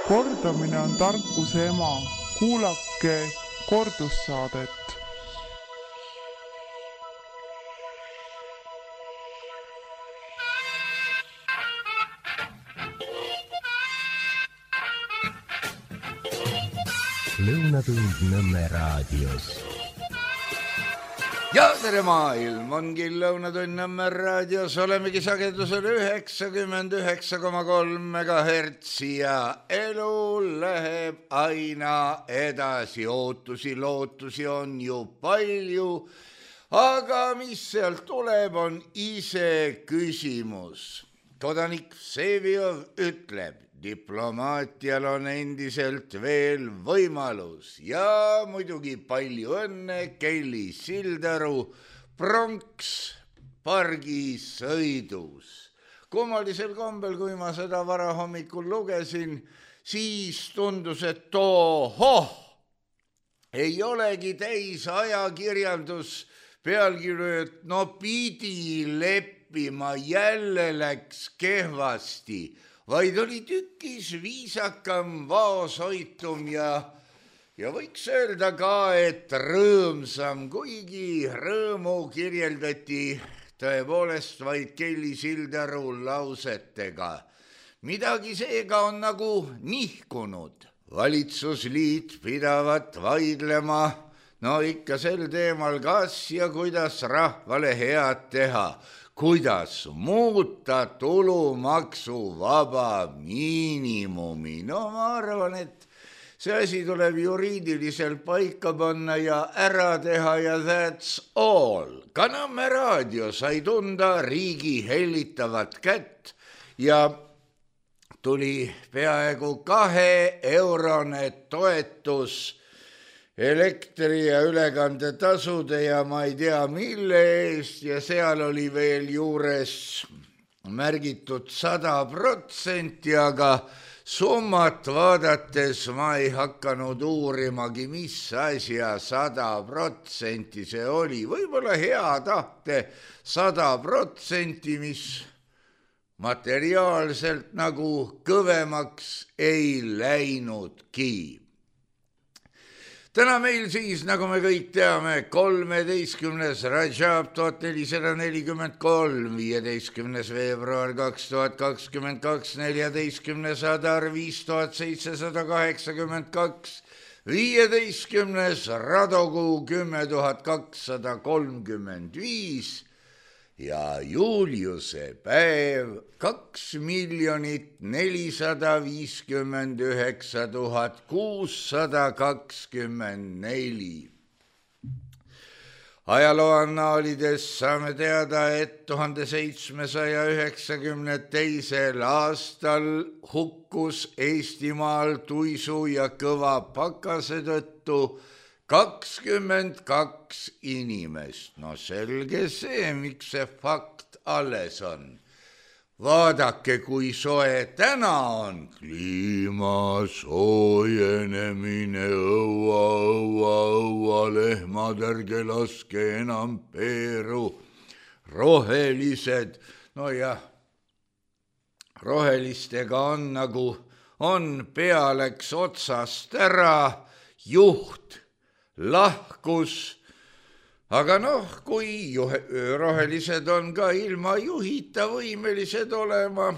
Kordamine on tarkuse ema. Kuulake kordussaadet. Lõunatund Nõmme raadios. Ja tere maailm, ongi Lõunatund Nõmme raadios, olemegi sagedusel 99,3 MHz ja elu läheb aina edasi, ootusi, lootusi on ju palju, aga mis sealt tuleb, on ise küsimus. Kodanik Vseviov ütleb, diplomaatial on endiselt veel võimalus ja muidugi palju õnne Kelly Sildaru pronkspargi sõidus. Kummalisel kombel, kui ma seda varahommikul lugesin, siis tundus, et ei olegi täis ajakirjandus pealkirju, et no pidi leppima, jälle läks kehvasti, vaid oli tükis viisakam, vaoshoitum ja võiks öelda ka, et rõõmsam, kuigi rõõmu kirjeldati tõepoolest vaid Kelly Sildaru lausetega. Midagi seega on nagu nihkunud. Valitsusliit pidavat vaidlema, no ikka sel teemal, kas ja kuidas rahvale head teha. Kuidas muuta tulumaksuvaba miinimumi? No ma arvan, et see asi tuleb juriidiliselt paika panna ja ära teha ja that's all. Ka Nõmme raadio sai tunda riigi hellitavat kätt ja tuli peaaegu 2-eurone toetus elektri- ja ülekandetasude ja ma ei tea mille eest ja seal oli veel juures märgitud 100%, aga summat vaadates ma ei hakanud uurimagi, mis asja 100% see oli. Võib-olla hea tahte 100%, mis materiaalselt nagu kõvemaks ei läinudki. Täna meil siis, nagu me kõik teame, 13. Rajab 1443, 15. veebruar 2022, 14. Adar 5782, 15. Radokuu 10235 ja Juliuse päev 2 459 624. Ajalooannaalides saame teada, et 1792. aastal hukkus Eestimaal tuisu ja kõva pakase tõttu 22 inimest. No selge see, miks see fakt alles on. Vaadake, kui soe täna on. Kliima soojenemine, õua, lehmad, ärge laske enam peeru. Rohelised, no jah, rohelistega on nagu on, pea läks otsast ära, juht lahkus, aga kui rohelised on ka ilma juhita võimelised olema,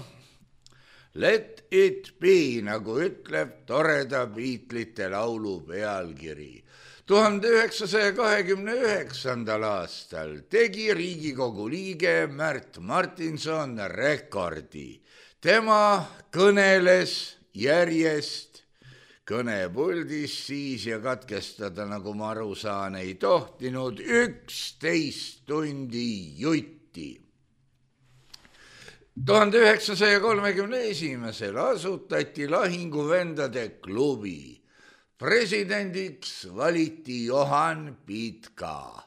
let it be, nagu ütleb toreda Beatlesite laulu pealkiri. 1929. aastal tegi Riigikogu liige Märt Martinson rekordi. Tema kõneles järjest kõnepuldis siis ja katkestada, nagu ma aru saan, ei tohtinud 11 tundi jutti. 1931. asutati Lahinguvendade klubi. Presidendiks valiti Johan Pitka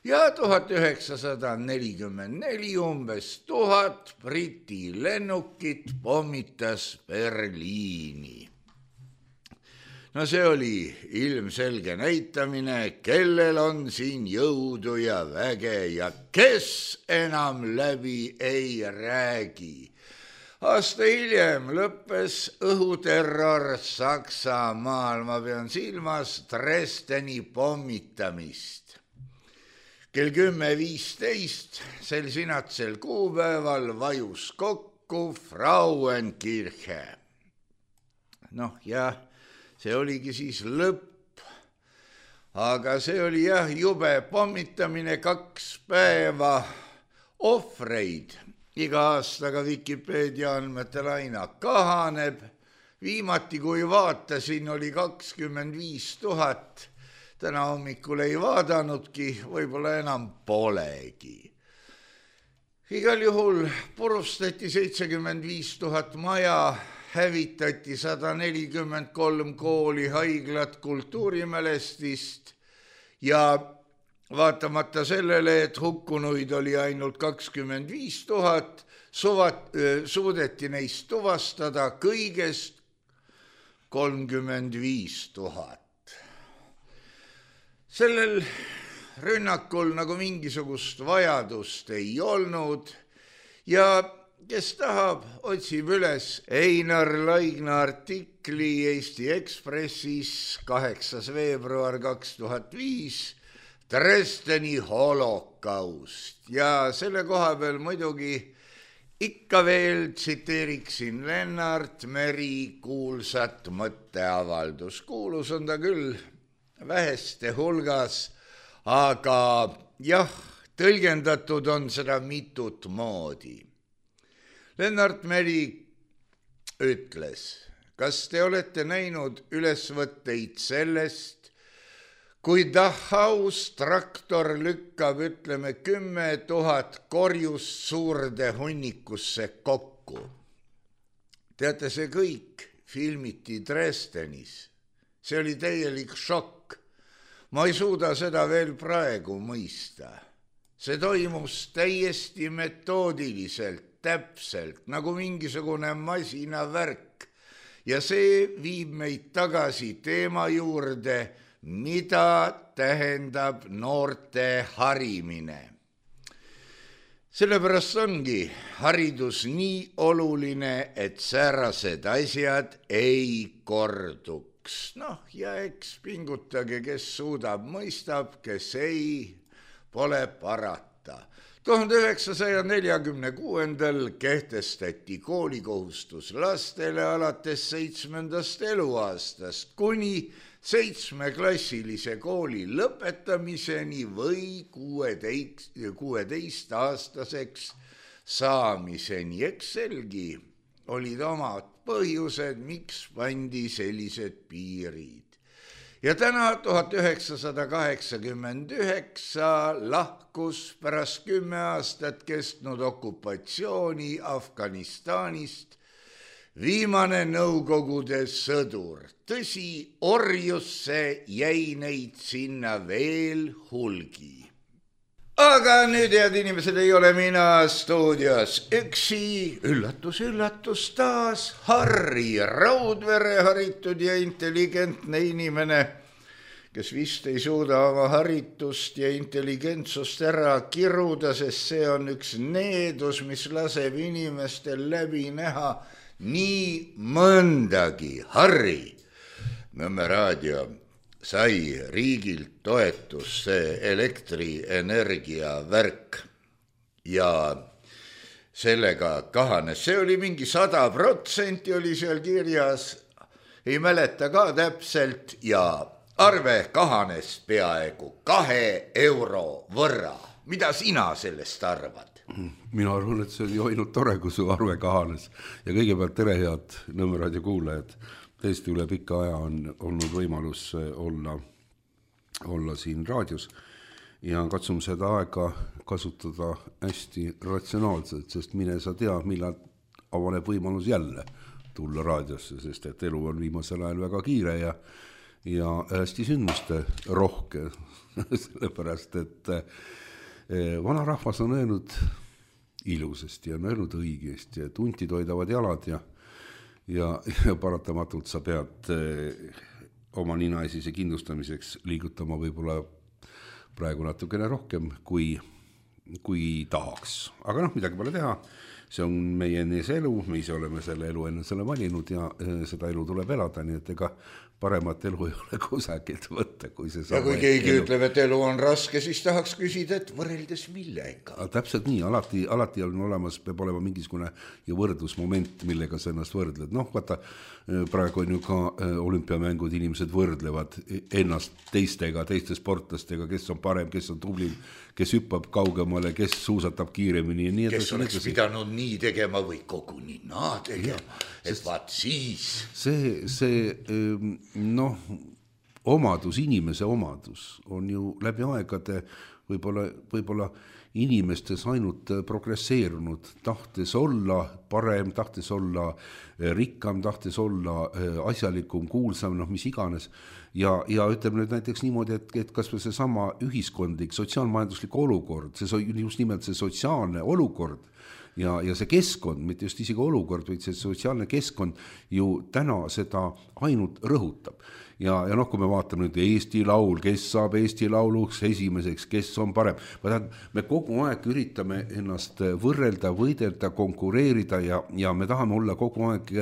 ja 1944 umbes 1000 Briti lennukit pommitas Berliini. No see oli ilmselge näitamine, kellel on siin jõudu ja väge ja kes enam läbi ei räägi. Aasta hiljem lõppes õhuterror Saksamaal, ma pean silmas Dresdeni pommitamist. Kell 10.15 sel sinatsel kuupäeval vajus kokku Frauenkirche. Ja see oligi siis lõpp, aga see oli jube pommitamine 2 päeva, ohvreid iga aastaga Wikipedia andmetel aina kahaneb. Viimati, kui vaatasin, oli 25 000. Täna hommikul ei vaadanudki, võib-olla enam polegi. Igal juhul purustati 75 000 maja, hävitati 143 kooli, haiglat, kultuurimälestist ja vaatamata sellele, et hukkunuid oli ainult 25 000, suudeti neist tuvastada kõigest 35 000. Sellel rünnakul nagu mingisugust vajadust ei olnud ja kes tahab, otsib üles Einar Laigna artikli Eesti Ekspressis 8. veebruar 2005 Dresdeni holokaust ja selle koha peal muidugi ikka veel tsiteeriksin Lennart Meri kuulsat mõtteavaldus. Kuulus on ta küll väheste hulgas, aga jah, tõlgendatud on seda mitut moodi. Lennart Meri ütles, kas te olete näinud ülesvõtteid sellest, kui Dachaus traktor lükkab, 10 000 korjust suurde hunnikusse kokku. Teate, see kõik filmiti Dresdenis. See oli täielik šokk. Ma ei suuda seda veel praegu mõista. See toimus täiesti metoodiliselt, täpselt, nagu mingisugune masinavärk. Ja see viib meid tagasi teema juurde, mida tähendab noorte harimine. Sellepärast ongi haridus nii oluline, et säärased asjad ei korduks. Ja eks pingutage, kes suudab, mõistab, kes ei, pole parata. 1946 kehtestati koolikohustus lastele alates 7. eluaastast kuni 7-klassilise kooli lõpetamiseni või 16-aastaseks saamiseni. Eks selgi olid omad põhjused, miks pandi sellised piirid. Ja täna 1989 lahkus pärast 10 aastat kestnud okupatsiooni Afganistanist viimane Nõukogude sõdur. Tõsi, orjusse jäi neid sinna veel hulgi. Aga nüüd, head inimesed, ei ole mina stuudios üksi. Üllatus, üllatus taas. Harri Raudvere, haritud ja intelligentne inimene, kes vist ei suuda oma haritust ja intelligentsust ära kiruda, sest see on üks needus, mis laseb inimestel läbi näha nii mõndagi. Harri, Nõmme raadio sai riigilt toetus see elektrienergia värk ja sellega kahanes. See oli mingi 100% oli seal kirjas, ei mäleta ka täpselt ja arve kahanes peaaegu 2 euro võrra. Mida sina sellest arvad? Mina arvan, et see on ju ainult tore, kui su arve kahanes. Ja kõigepealt tere, head Nõmme raadio kuulajad. Tõesti üle pika aja on olnud võimalus olla siin raadios ja katsume seda aega kasutada hästi ratsionaalselt, sest mine sa tea, millal avaneb võimalus jälle tulla raadiosse, sest et elu on viimasel ajal väga kiire ja hästi sündmuste rohke, sellepärast, et vanarahvas on öelnud ilusasti ja on öelnud õigesti, et huntid hoidavad jalad ja paratamatult sa pead oma ninaesise kindlustamiseks liigutama võib-olla praegu natukene rohkem kui tahaks. Aga midagi pole teha. see on meie ees elu, me ise oleme selle elu enne selle valinud ja seda elu tuleb elada, nii et ega paremat elu ei ole kusagilt võtta, kui see ja kui keegi ütleb, et elu on raske, siis tahaks küsida, et võrreldes millega. Täpselt nii, alati on olemas, peab olema mingisugune ja võrdlusmoment, millega sa ennast võrdled. Noh, vaata, praegu on ju ka olümpiamängud, inimesed võrdlevad ennast teistega, teiste sportlastega, kes on parem, kes on tublim, kes hüppab kaugemale, kes suusatab kiiremini ja nii kes oleks pidanud nii tegema või koguni naa tegema, et vaat siis. See omadus, inimese omadus on ju läbi aegade võib-olla inimestes ainult progresseerunud, tahtes olla parem, tahtes olla rikkam, tahtes olla asjalikum, kuulsam, mis iganes. Ja ütleme nüüd näiteks niimoodi, et kas või see sama ühiskondlik, sotsiaalmajanduslik olukord, see just nimelt see sotsiaalne olukord ja see keskkond, mitte just isegi olukord, vaid see sotsiaalne keskkond ju täna seda ainult rõhutab. Ja kui me vaatame nüüd Eesti Laul, kes saab Eesti Lauluks esimeseks, kes on parem. Me kogu aeg üritame ennast võrrelda, võidelda, konkureerida ja me tahame olla kogu aeg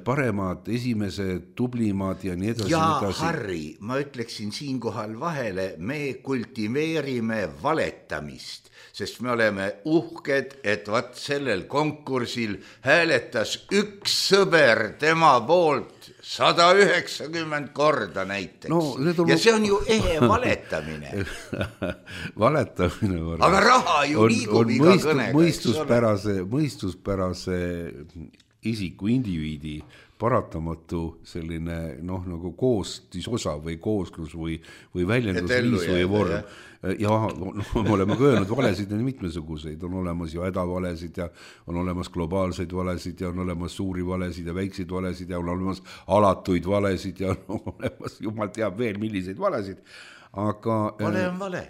paremad, esimesed, tublimad ja nii edasi. Ja Harri, ma ütleksin siinkohal vahele, me kultiveerime valetamist, sest me oleme uhked, et vaat sellel konkursil hääletas üks sõber tema poolt 190 korda näiteks. Ja see on ju ehe valetamine. Valetamine. Aga raha ju liigub iga kõnega. Mõistuspärase isiku, indiviidi paratamatu selline nagu koostisosa või kooslus või väljendusviis või vorm. Ja me oleme öelnud, valesid on mitmesuguseid, on olemas ju hädavalesid ja on olemas globaalseid valesid ja on olemas suuri valesid ja väikseid valesid ja on olemas alatuid valesid ja on olemas, jumal teab veel milliseid valesid. Aga vale on vale.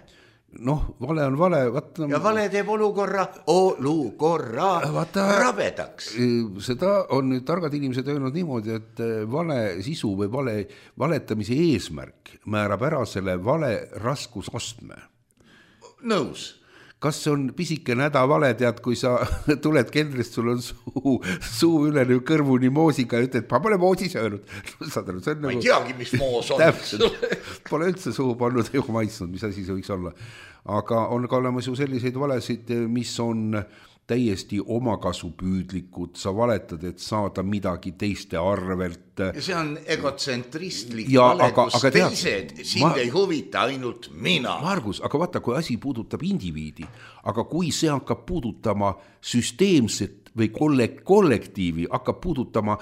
Vale on vale. Ja vale teeb olukorra rabedaks. Seda on nüüd targad inimesed öelnud niimoodi, et vale sisu või valetamise eesmärk määrab ära selle vale raskusastme. Nõus. Kas see on pisikene hädavale, tead, kui sa tuled keldrist, sul on suu üle kõrvuni moosiga ja ütled, ma pole moosi söönud. Ma ei teagi, mis moos on. Pole üldse suhu pannud ega maitsnud, mis asi see võiks olla. Aga on ka olemas ju selliseid valesid, mis on täiesti omakasupüüdlikud, sa valetad, et saada midagi teiste arvelt. Ja see on egotsentristlik vale, kus teised sind ei huvita, ainult mina. Margus, aga vaata, kui asi puudutab indiviidi, aga kui see hakkab puudutama süsteemset või kollektiivi, hakkab puudutama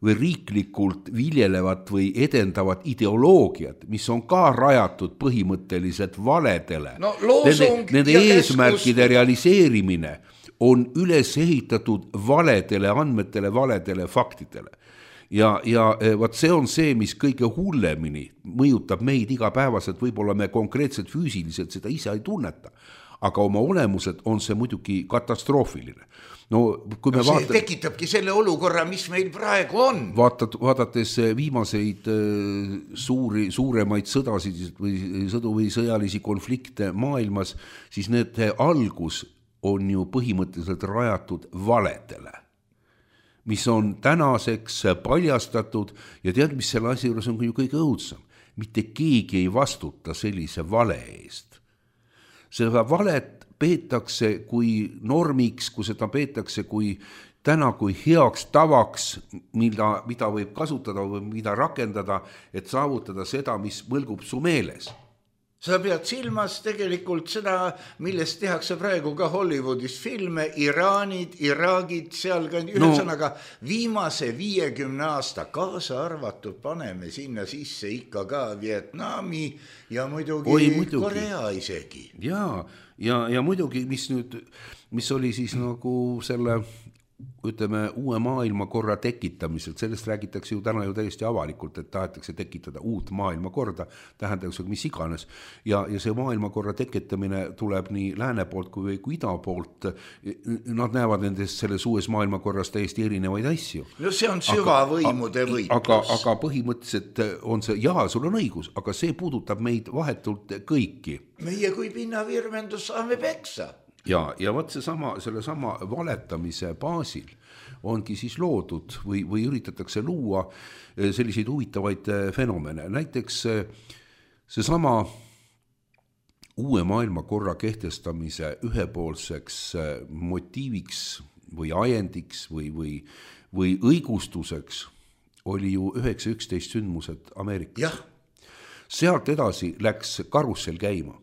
riiklikult viljelevat või edendavat ideoloogiat, mis on ka rajatud põhimõtteliselt valedele. Nende eesmärkide realiseerimine on üles ehitatud valedele andmetele, valedele faktidele. Ja vaat see on see, mis kõige hullemini mõjutab meid igapäevaselt, võib-olla me konkreetselt füüsiliselt seda ise ei tunneta, aga oma olemuselt on see muidugi katastroofiline. See tekitabki selle olukorra, mis meil praegu on. Vaadates viimaseid suuremaid sõdasid või sõjalisi konflikte maailmas, siis need algus on ju põhimõtteliselt rajatud valedele, mis on tänaseks paljastatud ja tead, mis selle asja juures on ju kõige õudsam. Mitte keegi ei vastuta sellise vale eest. Seda valet peetakse kui normiks, kui seda peetakse kui heaks tavaks, mida võib kasutada või mida rakendada, et saavutada seda, mis mõlgub su meeles. Sa pead silmas tegelikult seda, millest tehakse praegu ka Hollywoodis filme, Iraanid, Iraagid, seal ka ühesõnaga viimase 50 aasta kaasa arvatud paneme sinna sisse ikka ka Vietnami ja muidugi Korea isegi. Ja muidugi, mis oli siis nagu selle ütleme, uue maailmakorra tekitamisel, sellest räägitakse ju täna ju täiesti avalikult, et tahetakse tekitada uut maailmakorda, tähendaks mis iganes, ja see maailmakorra tekitamine tuleb nii lääne poolt kui ida poolt, nad näevad nendest selles uues maailmakorras täiesti erinevaid asju. No see on süvavõimude võitlus. Aga põhimõtteliselt on see, sul on õigus, aga see puudutab meid vahetult kõiki. Meie kui pinnavirvendus saame peksa. ja võt selle sama valetamise baasil ongi siis loodud või üritatakse luua selliseid huvitavaid fenomene. Näiteks seesama uue maailmakorra kehtestamise ühepoolseks motiiviks või ajendiks või õigustuseks oli ju 9.11 sündmused Ameerikas. Jah. Sealt edasi läks karussel käima.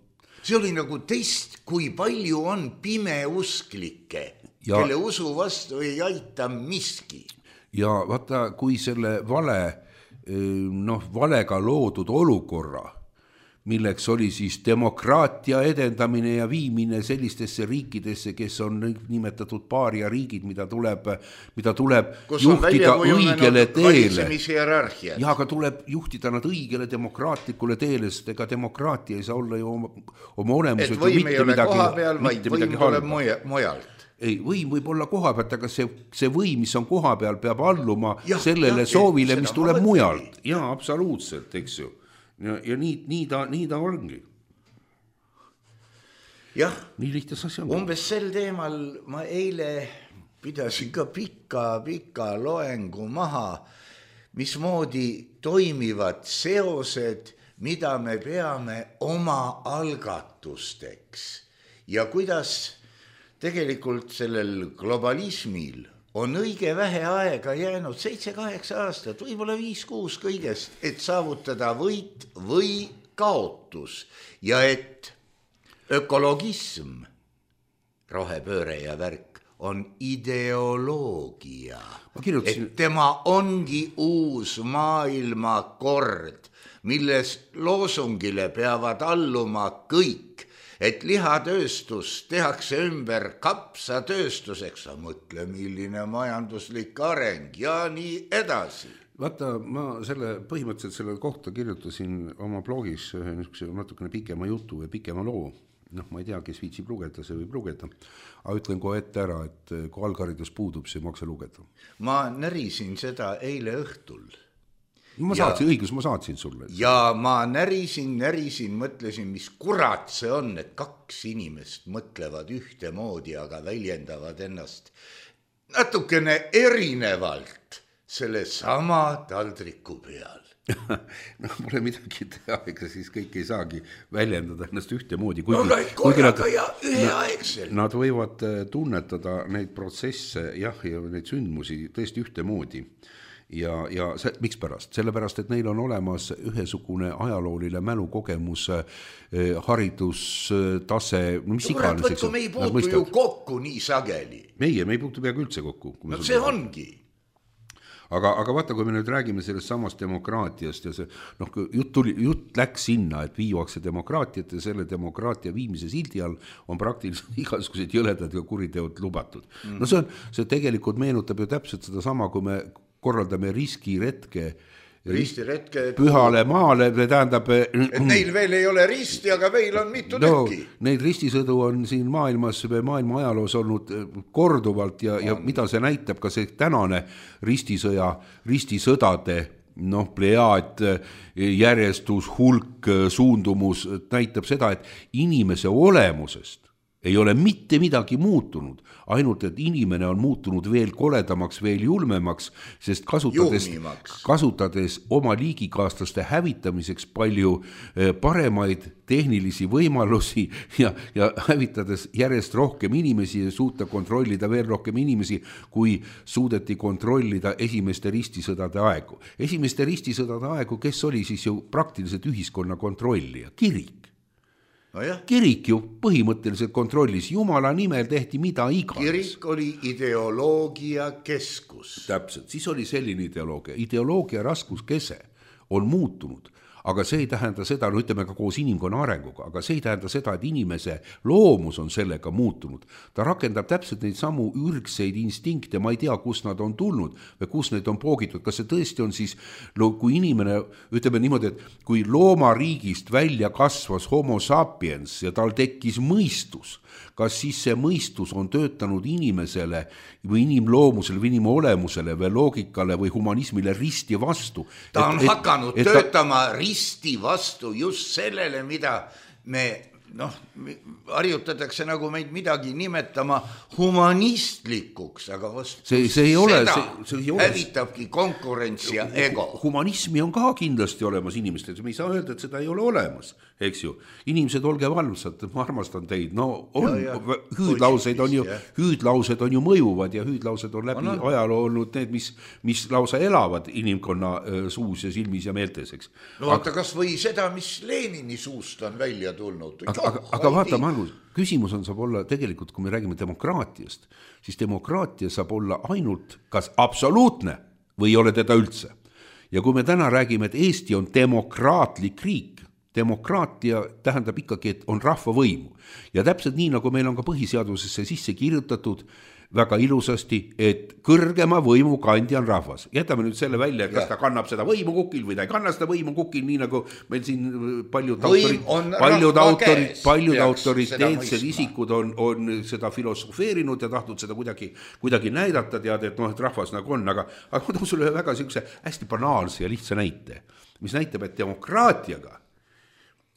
See oli nagu test, kui palju on pimeusklikke, kelle usu vastu ei aita miski. Ja vaata, kui selle valega loodud olukorra, milleks oli siis demokraatia edendamine ja viimine sellistesse riikidesse, kes on nimetatud paaria riigid, mida tuleb juhtida õigele teele. Ja aga tuleb juhtida nad õigele demokraatlikule teele, sest ega demokraatia ei saa olla ju oma olemusega et võim ei ole koha peal, vaid võim tuleb mujalt. Ei, võim võib olla koha pealt, aga see võim, mis on koha peal, peab alluma sellele soovile, mis tuleb mujalt. Jaa, absoluutselt, eks ju. Ja nii ta ongi. Jah, nii lihtne asi on. Umbes sel teemal ma eile pidasin ka pika loengu maha, mismoodi toimivad seosed, mida me peame oma algatusteks ja kuidas tegelikult sellel globalismil on õige vähe aega jäänud 7-8 aastat, võib-olla 5-6 kõigest, et saavutada võit või kaotus ja et ökologism, rohepööre ja värk on ideoloogia, et tema ongi uus maailmakord, milles loosungile peavad alluma kõik, et lihatööstus tehakse ümber kapsatööstuseks, mõtle milline majanduslik areng ja nii edasi. Vaata, ma põhimõtteliselt selle kohta kirjutasin oma blogis natukene pikema jutu ja pikema loo. Ma ei tea, kes viitsib lugeda, see võib lugeda. Aga ütlen kohe ette ära, et kui algharidus puudub, see ei maksa lugeda. Ma närisin seda eile õhtul. Ma saatsin sulle. Ja ma närisin, mõtlesin, mis kurat see on, et 2 inimest mõtlevad ühtemoodi, aga väljendavad ennast natukene erinevalt selle sama taldriku peal. Pole midagi teha, ega siis kõik ei saagi väljendada ennast ühtemoodi. Korraga ja üheaegselt. Nad võivad tunnetada neid protsesse ja neid sündmusi tõesti ühtemoodi. Ja miks pärast? Sellepärast, et neil on olemas ühesugune ajalooline mälukogemus, haridustase, mis iganes. Me ei puutu ju kokku nii sageli. Meie ei puutu peaaegu üldse kokku. No see ongi. Aga vaata, kui me nüüd räägime sellest samast demokraatiast ja jutt läks sinna, et viiakse demokraatiat ja selle demokraatia viimise sildi all on praktiliselt igasugused jõledad ja kuriteod lubatud. No see tegelikult meenutab ju täpselt seda sama, kui me korraldame ristiretke pühale maale, tähendab... Et neil veel ei ole risti, aga meil on mitu tükki. Neid ristisõdu on siin maailma ajaloos olnud korduvalt ja mida see näitab, ka see tänane ristisõdade plejaad, järjestus, hulk, suundumus näitab seda, et inimese olemusest ei ole mitte midagi muutunud, ainult et inimene on muutunud veel koledamaks, veel julmemaks, sest kasutades oma liigikaaslaste hävitamiseks palju paremaid tehnilisi võimalusi ja hävitades järjest rohkem inimesi ja suuta kontrollida veel rohkem inimesi, kui suudeti kontrollida esimeste ristisõdade aegu. Esimeste ristisõdade aegu, kes oli siis ju praktiliselt ühiskonna kontrollija? Kirik. Kirik ju põhimõtteliselt kontrollis, Jumala nimel tehti mida iganes. Kirik oli ideoloogia keskus. Täpselt, siis oli selline ideoloogia raskuskese on muutunud, aga see ei tähenda seda, ütleme ka koos inimkonna arenguga, aga see ei tähenda seda, et inimese loomus on sellega muutunud. Ta rakendab täpselt neid samu ürgseid instinkte, ma ei tea, kus nad on tulnud või kus neid on poogitud. Kas see tõesti on siis, kui inimene, ütleme niimoodi, et kui loomariigist välja kasvas homo sapiens ja tal tekkis mõistus, kas siis see mõistus on töötanud inimesele või inimloomusele või inimolemusele või loogikale või humanismile risti vastu? Ta on hakanud töötama risti vastu just sellele, mida me harjutatakse nagu meid midagi nimetama humanistlikuks, aga see ei ole, hävitabki konkurents ja ego. Humanismi on ka kindlasti olemas inimestel, me ei saa öelda, et seda ei ole olemas, eks ju. Inimesed, olge valmsad, ma armastan teid, hüüdlaused on ju mõjuvad ja hüüdlaused on läbi ajaloo olnud need, mis lausa elavad inimkonna suus ja silmis ja meeltes, eks. Vaata kas või seda, mis Lenini suust on välja tulnud. Aga vaata, Margus, küsimus on, saab olla tegelikult, kui me räägime demokraatiast, siis demokraatia saab olla ainult kas absoluutne või ei ole teda üldse. Ja kui me täna räägime, et Eesti on demokraatlik riik, demokraatia tähendab ikkagi, et on rahvavõimu. Ja täpselt nii, nagu meil on ka põhiseadusesse sisse kirjutatud väga ilusasti, et kõrgema võimu kandja on rahvas. Jätame nüüd selle välja, et kas ta kannab seda võimu kukil või ta ei kanna seda võimu kukil, nii nagu meil siin paljud autoriteetsed isikud on seda filosofeerinud ja tahtnud seda kuidagi näidata, tead, et et rahvas nagu on, aga ma toon sulle väga sellise hästi banaalse ja lihtsa näite, mis näitab, et demokraatiaga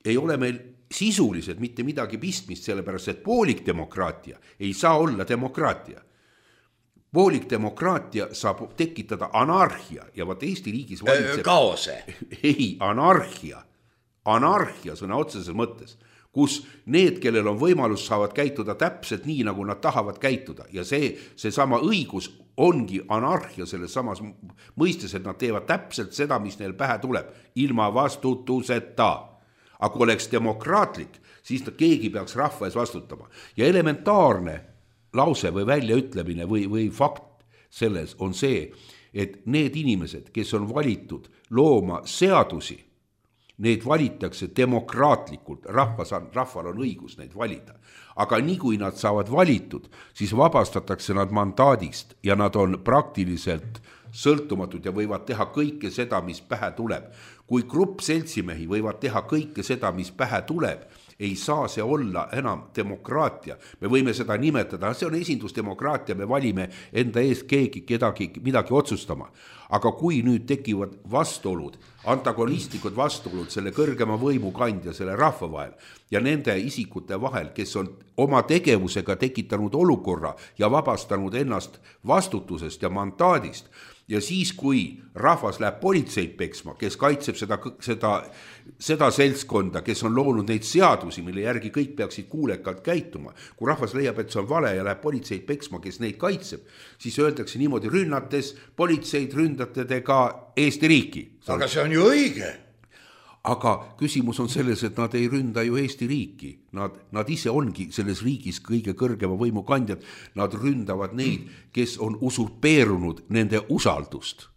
ei ole meil sisuliselt mitte midagi pistmist, sellepärast, et poolik demokraatia ei saa olla demokraatia. Poolik demokraatia saab tekitada anarhia ja vaat Eesti riigis valitseb... Kaose. Ei, anarhia sõna otseses mõttes, kus need, kellel on võimalus, saavad käituda täpselt nii, nagu nad tahavad käituda ja see sama õigus ongi anarhia selles samas mõistes, et nad teevad täpselt seda, mis neil pähe tuleb, ilma vastutuseta. Aga kui oleks demokraatlik, siis keegi peaks rahva ees vastutama. Ja elementaarne lause või väljaütlemine või fakt selles on see, et need inimesed, kes on valitud looma seadusi, need valitakse demokraatlikult, rahval on õigus neid valida. Aga nii kui nad saavad valitud, siis vabastatakse nad mandaadist ja nad on praktiliselt sõltumatud ja võivad teha kõike seda, mis pähe tuleb. Kui grupp seltsimehi võivad teha kõike seda, mis pähe tuleb, ei saa see olla enam demokraatia. Me võime seda nimetada, see on esindusdemokraatia, me valime enda eest midagi otsustama. Aga kui nüüd tekivad vastuolud, antagonistlikud vastuolud selle kõrgema võimu kandja, selle rahva vahel ja nende isikute vahel, kes on oma tegevusega tekitanud olukorra ja vabastanud ennast vastutusest ja mandaadist, ja siis, kui rahvas läheb politseid peksma, kes kaitseb seda seltskonda, kes on loonud neid seadusi, mille järgi kõik peaksid kuulekalt käituma, kui rahvas leiab, et see on vale ja läheb politseid peksma, kes neid kaitseb, siis öeldakse niimoodi, rünnates politseid ründate te ka Eesti riiki. Aga see on ju õige. Aga küsimus on selles, et nad ei ründa ju Eesti riiki. Nad ise ongi selles riigis kõige kõrgema võimu kandjad. Nad ründavad neid, kes on usurpeerunud nende usaldust.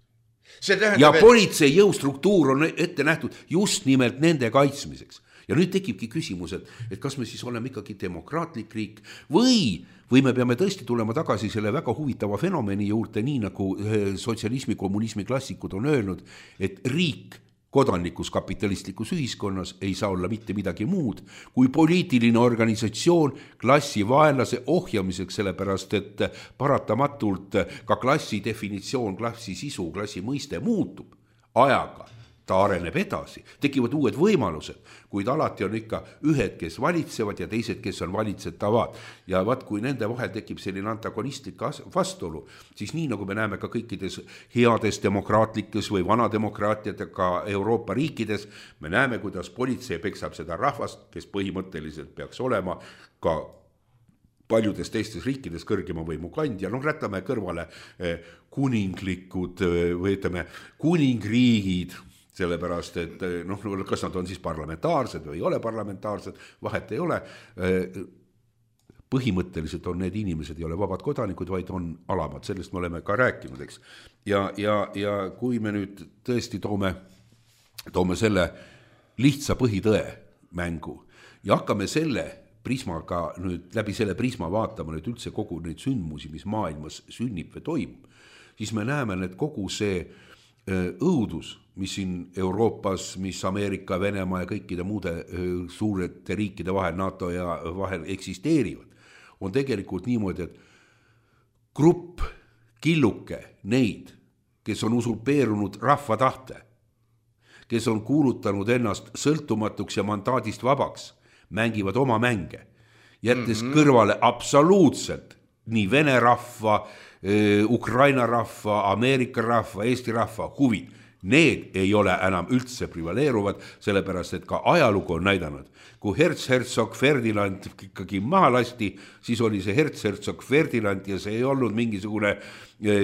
Ja politsei jõustruktuur on ette nähtud just nimelt nende kaitsmiseks. Ja nüüd tekibki küsimus, et kas me siis oleme ikkagi demokraatlik riik või me peame tõesti tulema tagasi selle väga huvitava fenomeni juurde, nii nagu sotsialismi, kommunismi klassikud on öelnud, et riik kodanlikus kapitalistlikus ühiskonnas ei saa olla mitte midagi muud kui poliitiline organisatsioon klassi vaenlase ohjamiseks, sellepärast et paratamatult ka klassi definitsioon, klassi sisu, klassi mõiste muutub ajaga. Ta areneb edasi, tekivad uued võimalused, kuid alati on ikka ühed, kes valitsevad ja teised, kes on valitsetavad. Ja kui nende vahel tekib selline antagonistlik vastuolu, siis nii nagu me näeme ka kõikides heades demokraatlikes või vanademokraatiatega Euroopa riikides, me näeme, kuidas politsei peksab seda rahvast, kes põhimõtteliselt peaks olema ka paljudes teistes riikides kõrgema võimu kandja. Rätame kõrvale kuninglikud või ütleme kuningriigid, sellepärast, et kas nad on siis parlamentaarsed või ei ole parlamentaarsed, vahet ei ole. Põhimõtteliselt on need inimesed ei ole vabad kodanikud, vaid on alamad, sellest me oleme ka rääkinud, eks. Ja kui me nüüd tõesti toome selle lihtsa põhitõe mängu ja hakkame selle prismaga nüüd läbi selle prisma vaatama nüüd üldse kogu neid sündmusi, mis maailmas sünnib või toimub, siis me näeme, et kogu see õudus, mis siin Euroopas, mis Ameerika, Venemaa ja kõikide muude suurete riikide vahel, NATO ja vahel eksisteerivad, on tegelikult niimoodi, et grupp, killuke neid, kes on usurpeerunud rahva tahte, kes on kuulutanud ennast sõltumatuks ja mandaadist vabaks, mängivad oma mänge, jättes kõrvale absoluutselt nii vene rahva, Ukraina rahva, Ameerika rahva, Eesti rahva huvid. Need ei ole enam üldse privaleeruvad, sellepärast, et ka ajalugu on näidanud. Kui Herzog Ferdinand ikkagi maha lasti, siis oli see Herzog Ferdinand ja see ei olnud mingisugune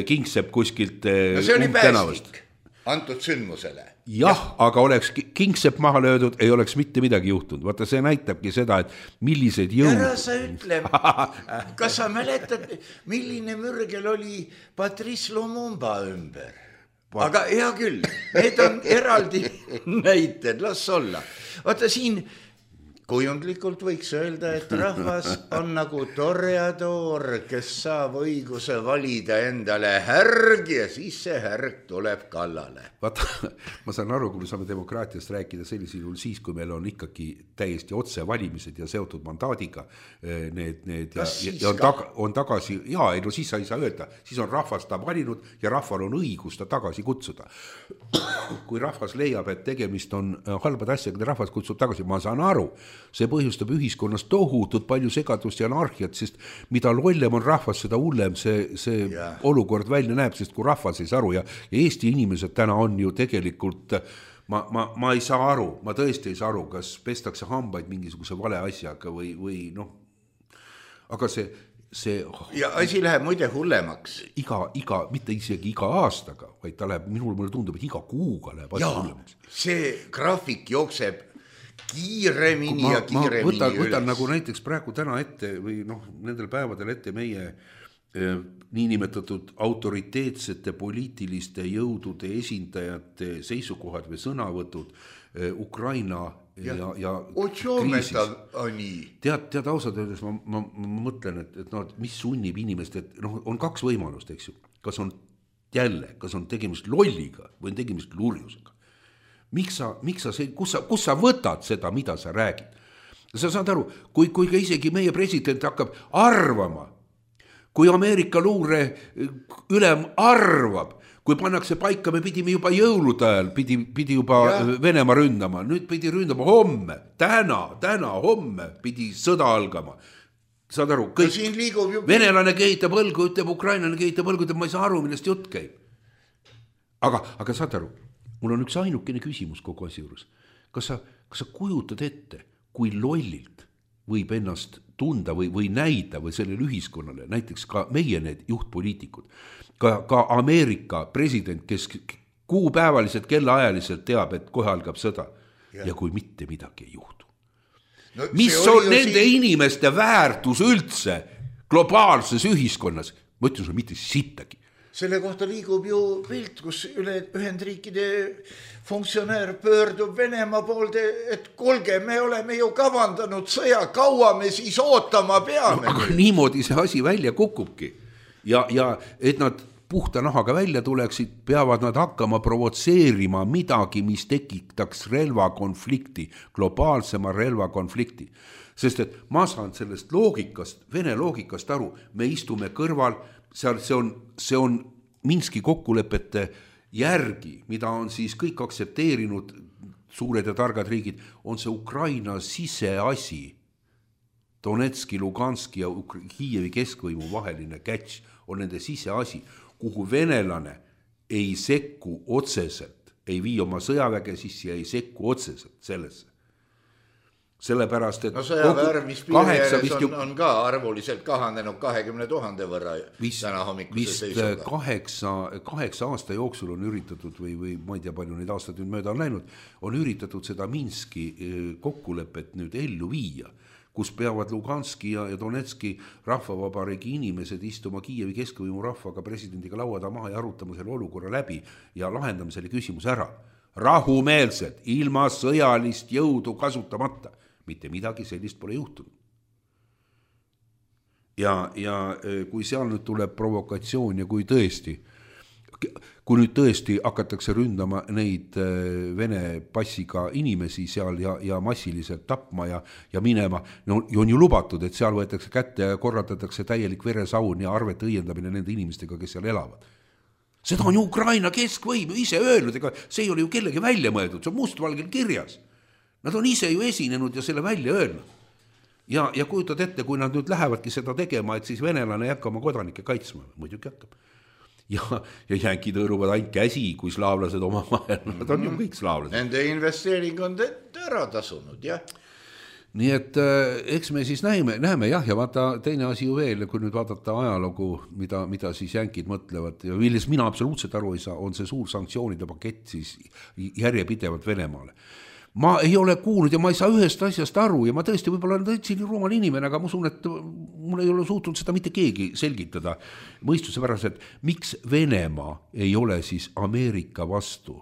kingsepp kuskilt no see oli päästik antud sündmusele. Jah, aga oleks kingsepp maha löödud, ei oleks mitte midagi juhtunud. Vaata, see näitabki seda, et millised jõud... Ära sa ütle, kas sa mäletad, milline mürgel oli Patrice Lumumba ümber? Aga hea küll, need on eraldi näited, las olla. Vaata siin kujundlikult võiks öelda, et rahvas on nagu toreador, kes saab õiguse valida endale härg ja siis see härg tuleb kallale. Vaata, ma saan aru, kui me saame demokraatiast rääkida sellisel juhul siis, kui meil on ikkagi täiesti otse valimised ja seotud mandaadiga need ja on tagasi, siis sa ei saa öelda, siis on rahvas ta valinud ja rahval on õigus ta tagasi kutsuda. Kui rahvas leiab, et tegemist on halbad asjaga, rahvas kutsub tagasi, ma saan aru, see põhjustab ühiskonnas tohutult palju segadust ja anarhiat, sest mida lollem on rahvas, seda hullem see olukord välja näeb, sest kui rahvas ei saa aru ja Eesti inimesed täna on ju tegelikult, ma ei saa aru, ma tõesti ei saa aru, kas pestakse hambaid mingisuguse vale asjaga või noh, aga see ja asi läheb muide hullemaks. Mitte isegi iga aastaga, vaid ta läheb, mulle tundub, et iga kuuga läheb asi hullemaks. See graafik jookseb kiiremini ja kiiremini üles. Võtan nagu näiteks praegu täna ette või nendel päevadel ette meie niinimetatud autoriteetsete poliitiliste jõudude esindajate seisukohad või sõnavõtud Ukraina ja kriisis. Tead ausalt öeldes, ma mõtlen, et mis sunnib inimest, et on kaks võimalust, eks ju. Kas on tegemist lolliga või on tegemist lurjusega. Miks sa võtad seda, mida sa räägid? Sa saad aru, kui ka isegi meie president hakkab arvama, kui Ameerika luure ülem arvab, kui pannakse paika, me pidime juba jõulude ajal, pidi juba Venemaa ründama, nüüd pidi ründama homme, täna, homme pidi sõda algama. Saad aru, kõik venelane kehitab õlgu, ütleb ukrainlane kehitab õlgu, ma ei saa aru, millest jutt käib. Aga saad aru, mul on üks ainukene küsimus kogu asja juures. Kas sa kujutad ette, kui lollilt võib ennast tunda või näida või sellele ühiskonnale, näiteks ka meie need juhtpoliitikud, ka Ameerika president, kes kuupäevaliselt kellaajaliselt teab, et kohe algab sõda ja kui mitte midagi ei juhtu. Mis on nende inimeste väärtus üldse globaalses ühiskonnas? Ma ütlen sulle mitte sittagi. Selle kohta liigub ju pilt, kus Ühendriikide funktsionäär pöördub Venemaa poolde, et kuulge, me oleme ju kavandanud sõja, kaua me siis ootama peame. Aga niimoodi see asi välja kukubki. Ja et nad puhta nahaga välja tuleksid, peavad nad hakkama provotseerima midagi, mis tekitaks relvakonflikti, globaalsema relvakonflikti. Sest et ma saan sellest loogikast, Vene loogikast aru, me istume kõrval, see on Minski kokkulepete järgi, mida on siis kõik aktsepteerinud suured ja targad riigid, on see Ukraina siseasi, Donetski, Luganski ja Kiievi keskvõimu vaheline catch on nende siseasi, kuhu venelane ei sekku otseselt, ei vii oma sõjaväge sisse ja ei sekku otseselt sellesse. Sellepärast, et sõjaväärmispiiri ääres on ka arvuliselt kahanenud 20 000 võrra täna hommikuse seisuga. 8 aasta jooksul on üritatud või ma ei tea palju neid aastaid nüüd mööda on läinud, on üritatud seda Minski kokkulepet nüüd ellu viia, kus peavad Luganski ja Donetski rahvavabariigi inimesed istuma Kiievi keskvõimu rahvaga presidendiga lauada maha ja arutama selle olukorra läbi ja lahendama selle küsimus ära. Rahumeelselt, ilma sõjalist jõudu kasutamata. Mitte midagi sellist pole juhtunud. Ja kui seal nüüd tuleb provokatsioon ja kui nüüd tõesti hakatakse ründama neid Vene passiga inimesi seal ja massiliselt tapma ja minema, on ju lubatud, et seal võetakse kätte ja korraldatakse täielik veresaun ja arvete õiendamine nende inimestega, kes seal elavad. Seda on ju Ukraina keskvõim ise öelnud, ega see ei ole ju kellegi välja mõeldud, see on mustvalgel kirjas. Nad on ise ju esinenud ja selle välja öelnud. Ja kujutad ette, kui nad nüüd lähevadki seda tegema, et siis venelane ei hakka oma kodanikke kaitsma. Muidugi hakkab. Ja jänkid hõõruvad ainult käsi, kui slaavlased oma vahel. Nad on ju kõik slaavlased. Nende investeering on ära tasunud, jah. Nii et eks me siis näeme jah, ja vaata teine asi ju veel, kui nüüd vaadata ajalugu, mida siis jänkid mõtlevad ja milles mina absoluutselt aru ei saa, on see suur sanktsioonide pakett siis järjepidevalt Venemaale. Ma ei ole kuulnud ja ma ei saa ühest asjast aru ja ma tõesti võib-olla olen tõesti rumal inimene, aga ma usun, et mul ei ole suutnud seda mitte keegi selgitada mõistuse pärast, et miks Venemaa ei ole siis Ameerika vastu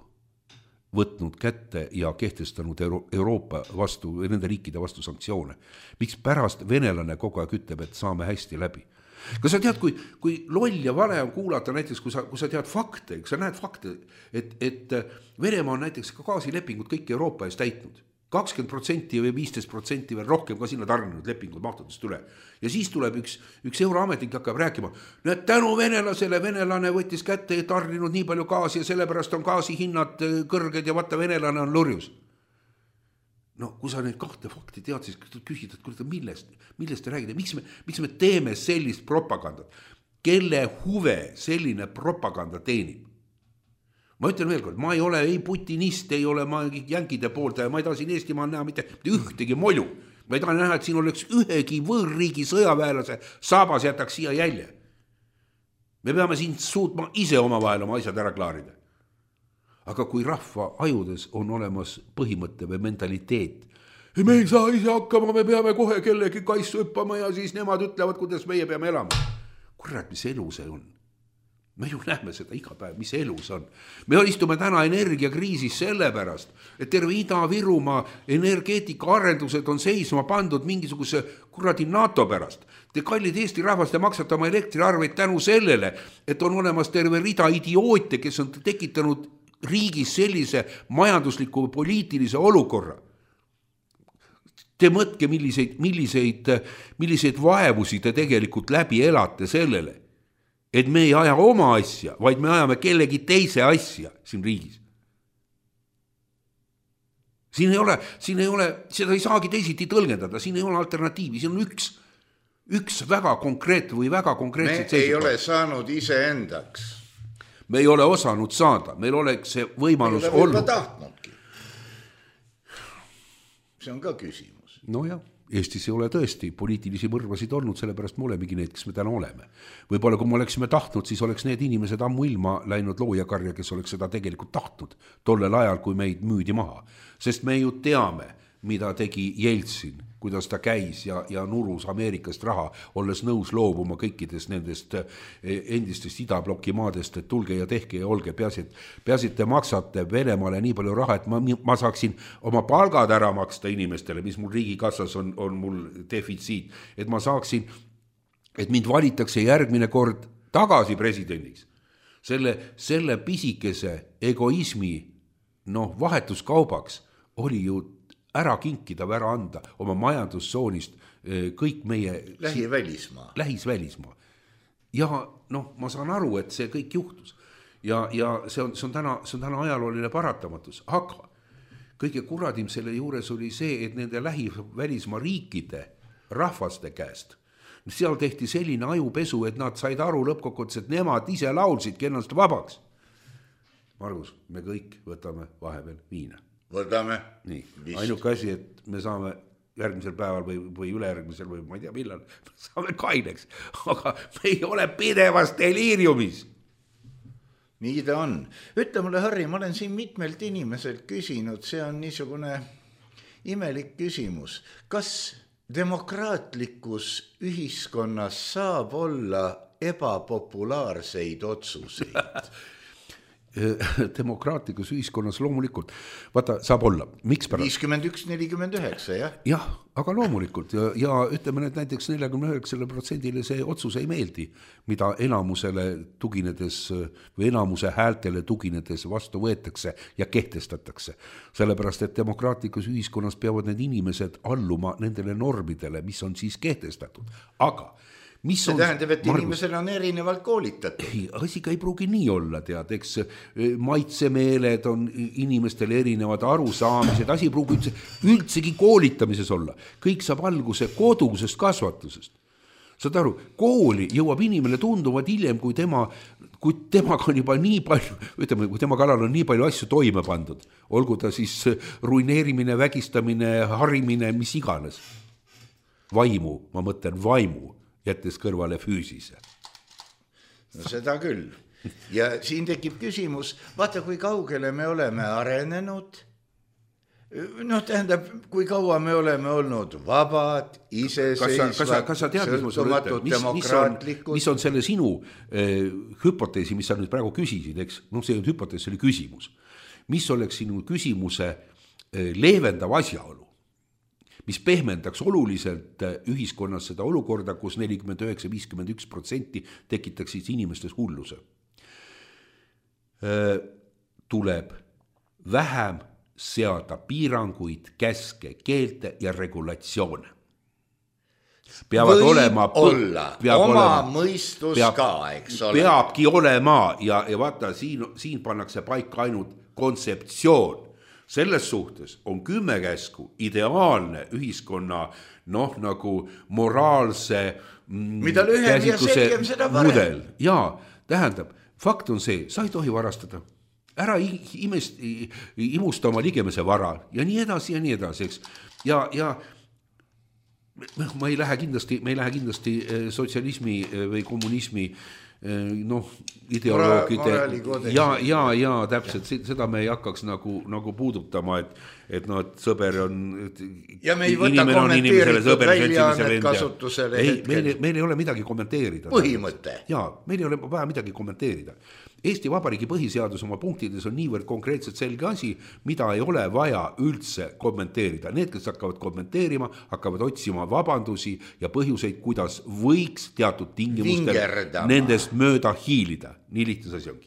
võtnud kätte ja kehtestanud Euroopa vastu, nende riikide vastu sanktsioone. Miks pärast venelane kogu aeg ütleb, et saame hästi läbi? Kas sa tead, kui loll ja vale on kuulata näiteks, kui sa tead fakte, kui sa näed fakte, et Venemaa on näiteks ka gaasilepingud kõik Euroopa ees täitnud. 20% või 15% veel rohkem ka sinna tarninud lepingud mahtudest üle. Ja siis tuleb üks euroametnik hakkab rääkima, näed tänu venelasele, venelane võttis kätte ja tarninud nii palju gaasi ja sellepärast on gaasi hinnad kõrged ja vaata venelane on lurjus. No kui sa neid kahte fakti tead, siis küsid, et millest te räägite, miks me teeme sellist propagandat, kelle huve selline propaganda teenib? Ma ütlen veel kord, ma ei ole ei putinist, ei ole ma jänkide poolt ja ma ei taha siin Eestimaal näha mitte ühtegi molju. Ma ei taha näha, et siin oleks ühegi võõrriigi sõjaväelase saabas jätaks siia jälje. Me peame siin suutma ise omavahel oma asjad ära klaarida. Aga kui rahva ajudes on olemas põhimõtte või mentaliteet, me ei saa ise hakkama, me peame kohe kellegi kaissu hüppama ja siis nemad ütlevad, kuidas meie peame elama. Kurat, mis elu see on? Me ju näeme seda iga päev, mis elu see on. Me istume täna energiakriisis sellepärast, et terve Ida-Virumaa energeetikaarendused on seisma pandud mingisuguse kuradi NATO pärast. Te kallid Eesti rahvast ja maksate oma elektriarveid tänu sellele, et on olemas terve rida idioote, kes on tekitanud riigis sellise majandusliku poliitilise olukorra. Te mõtke, milliseid vaevusi te tegelikult läbi elate sellele, et me ei aja oma asja, vaid me ajame kellegi teise asja siin riigis. Siin ei ole, seda ei saagi teisiti tõlgendada, siin ei ole alternatiivi, siin on üks väga konkreetne või väga konkreetset seisukoht. Me ei ole saanud iseendaks. Me ei ole osanud saada, meil oleks see võimalus olnud. See on ka küsimus. No jah, Eestis ei ole tõesti poliitilisi mõrvasid olnud, sellepärast me olemegi need, kes me täna oleme. Võib-olla kui me oleksime tahtnud, siis oleks need inimesed ammu ilma läinud loojakarja, kes oleks seda tegelikult tahtnud tollel ajal, kui meid müüdi maha. Sest me ju teame, mida tegi Jeltsin, kuidas ta käis ja nurus Ameerikast raha, olles nõus loobuma kõikidest nendest endistest idabloki maadest, et tulge ja tehke ja olge, peasid te maksate Venemaale nii palju raha, et ma saaksin oma palgad ära maksta inimestele, mis mul riigikassas on mul defitsiit, et ma saaksin, et mind valitakse järgmine kord tagasi presidendiks. Selle pisikese egoismi vahetuskaubaks oli ju ära kinkida või ära anda oma majandustsoonist kõik meie lähisvälismaa. Ja ma saan aru, et see kõik juhtus. Ja see on täna ajalooline paratamatus. Aga kõige kuradim selle juures oli see, et nende lähivälismaa riikide rahvaste käest seal tehti selline ajupesu, et nad said aru lõppkokkuvõttes, et nemad ise laulsidki ennast vabaks. Margus, me kõik võtame vahepeal viina. Võtame. Nii, ainuke asi, et me saame järgmisel päeval või ülejärgmisel või ma ei tea millal, saame kaineks, aga me ei ole pidevas deliiriumis. Nii ta on. Ütle mulle, Harri, ma olen siin mitmelt inimeselt küsinud, see on niisugune imelik küsimus. Kas demokraatlikus ühiskonnas saab olla ebapopulaarseid otsuseid? Demokraatlikus ühiskonnas loomulikult, vaata, saab olla, miks pärast? 51-49, jah? Jah, aga loomulikult ja ütleme nüüd näiteks 49% see otsus ei meeldi, mida enamusele tuginedes või enamuse häältele tuginedes vastu võetakse ja kehtestatakse. Sellepärast, et demokraatlikus ühiskonnas peavad need inimesed alluma nendele normidele, mis on siis kehtestatud. Aga See tähendab, et inimesel on erinevalt koolitatud. Ei, asi ka ei pruugi nii olla, tead, eks maitsemeeled on inimestel erinevad arusaamised, asi ei pruugi üldsegi koolitamises olla. Kõik saab alguse kodusest kasvatusest. Saad aru, kooli jõuab inimene tunduvad hiljem, kui temaga on juba nii palju, ütleme, kui tema kallal on nii palju asju toime pandud, olgu ta siis ruineerimine, vägistamine, harimine, mis iganes. Vaimu, ma mõtlen vaimu, jättes kõrvale füüsise. No seda küll. Ja siin tekib küsimus, vaata kui kaugele me oleme arenenud. Tähendab, kui kaua me oleme olnud vabad, iseseisvad, sõltumatud, demokraatlikud. Mis on selle sinu hüpoteesi, mis sa nüüd praegu küsisid, eks? See hüpotees oli küsimus. Mis oleks sinu küsimuse leevendav asjaolu, mis pehmendaks oluliselt ühiskonnas seda olukorda, kus 49-51% tekitaks siis inimestes hulluse. Tuleb vähem seada piiranguid, käske, keelte ja regulatsioone. Peavad olema mõistus ka, eks ole. Peabki olema ja vaata, siin pannakse paika ainult kontseptsioon. Selles suhtes on 10 käsku ideaalne ühiskonna nagu moraalse mida lühem ja selgem seda mudel. Jaa, tähendab, fakt on see, sa ei tohi varastada. Ära imusta oma ligemese vara ja nii edasi, eks. Ja me ei lähe kindlasti sotsialismi või kommunismi ideoloogide ja täpselt seda me ei hakkaks nagu puudutama, et sõber on ja me ei võta kommenteeritud väljaannet kasutusele hetkel. Meil ei ole midagi kommenteerida. Põhimõte. Jaa, meil ei ole vaja midagi kommenteerida. Eesti Vabariigi põhiseadus oma punktides on niivõrd konkreetselt selge asi, mida ei ole vaja üldse kommenteerida. Need, kes hakkavad kommenteerima, hakkavad otsima vabandusi ja põhjuseid, kuidas võiks teatud tingimustel nendest mööda hiilida. Nii lihtne asi ongi.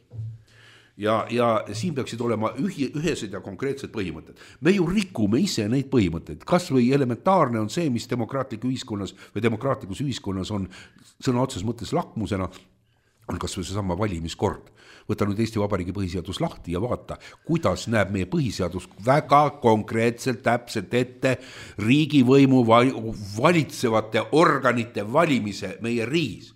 Ja siin peaksid olema ühesed ja konkreetsed põhimõtted. Me ju rikume ise neid põhimõtteid. Kas või elementaarne on see, mis demokraatlikus ühiskonnas on sõna otses mõttes lakmusena, on kas või seesama valimiskord. Võta nüüd Eesti Vabariigi põhiseadus lahti ja vaata, kuidas näeb meie põhiseadus väga konkreetselt täpselt ette riigivõimu valitsevate organite valimise meie riigis.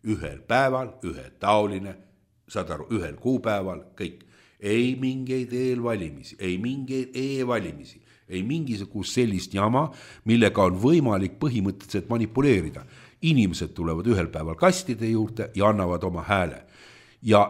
Ühel päeval, ühetaoline, saad aru, ühel kuupäeval, kõik. Ei mingeid eelvalimisi, ei mingeid e-valimisi, ei mingisugust sellist jama, millega on võimalik põhimõtteliselt manipuleerida. Inimesed tulevad ühel päeval kastide juurde ja annavad oma hääle. Ja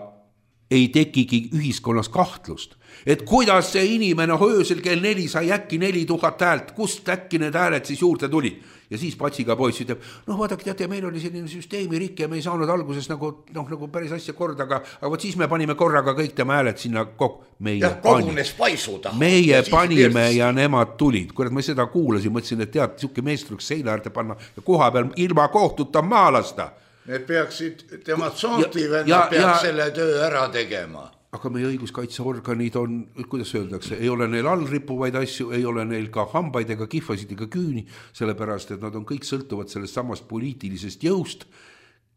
ei tekigi ühiskonnas kahtlust, et kuidas see inimene öösel kell 4 sai äkki 4000 häält, kust äkki need hääled siis juurde tuli. Ja siis patsiga poiss ütleb, vaadake, teate, meil oli selline süsteemi rikke ja me ei saanud alguses nagu päris asja korda, aga võt siis me panime korraga kõik tema hääled sinna kogunes paisuda. Meie panime ja nemad tulid. Kurat, ma seda kuulasin, mõtlesin, et tead, siuke meestruks seina äärde panna ja koha peal ilma kohtuta maalasta. Need peaksid, tema tsoontivennad peaks selle töö ära tegema. Aga meie õiguskaitseorganid on, kuidas öeldakse, ei ole neil allrippuvaid asju, ei ole neil ka hambaid ega kihvasid ega küüni, sellepärast, et nad on kõik sõltuvad sellest samast poliitilisest jõust,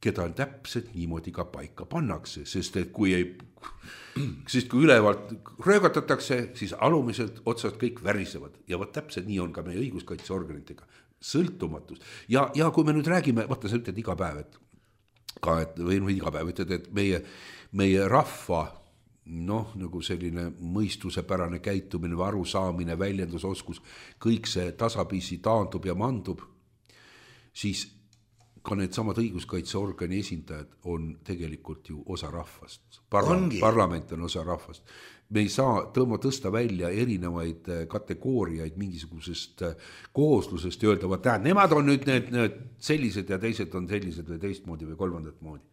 keda täpselt niimoodi ka paika pannakse, sest kui ülevalt röögatatakse, siis alumiselt otsast kõik värisevad ja võt täpselt nii on ka meie õiguskaitseorganitega. Sõltumatus. Ja kui me nüüd räägime, vaata sa ütled iga päev, et meie rahva nagu selline mõistusepärane käitumine või arusaamine, väljendusoskus, kõik see tasapisi taandub ja mandub, siis ka need samad õiguskaitseorgani esindajad on tegelikult ju osa rahvast. Parlament on osa rahvast. Me ei saa tõsta välja erinevaid kategooriaid mingisugusest kooslusest ja öelda, et nemad on nüüd need sellised ja teised on sellised või teistmoodi või kolmandat moodi.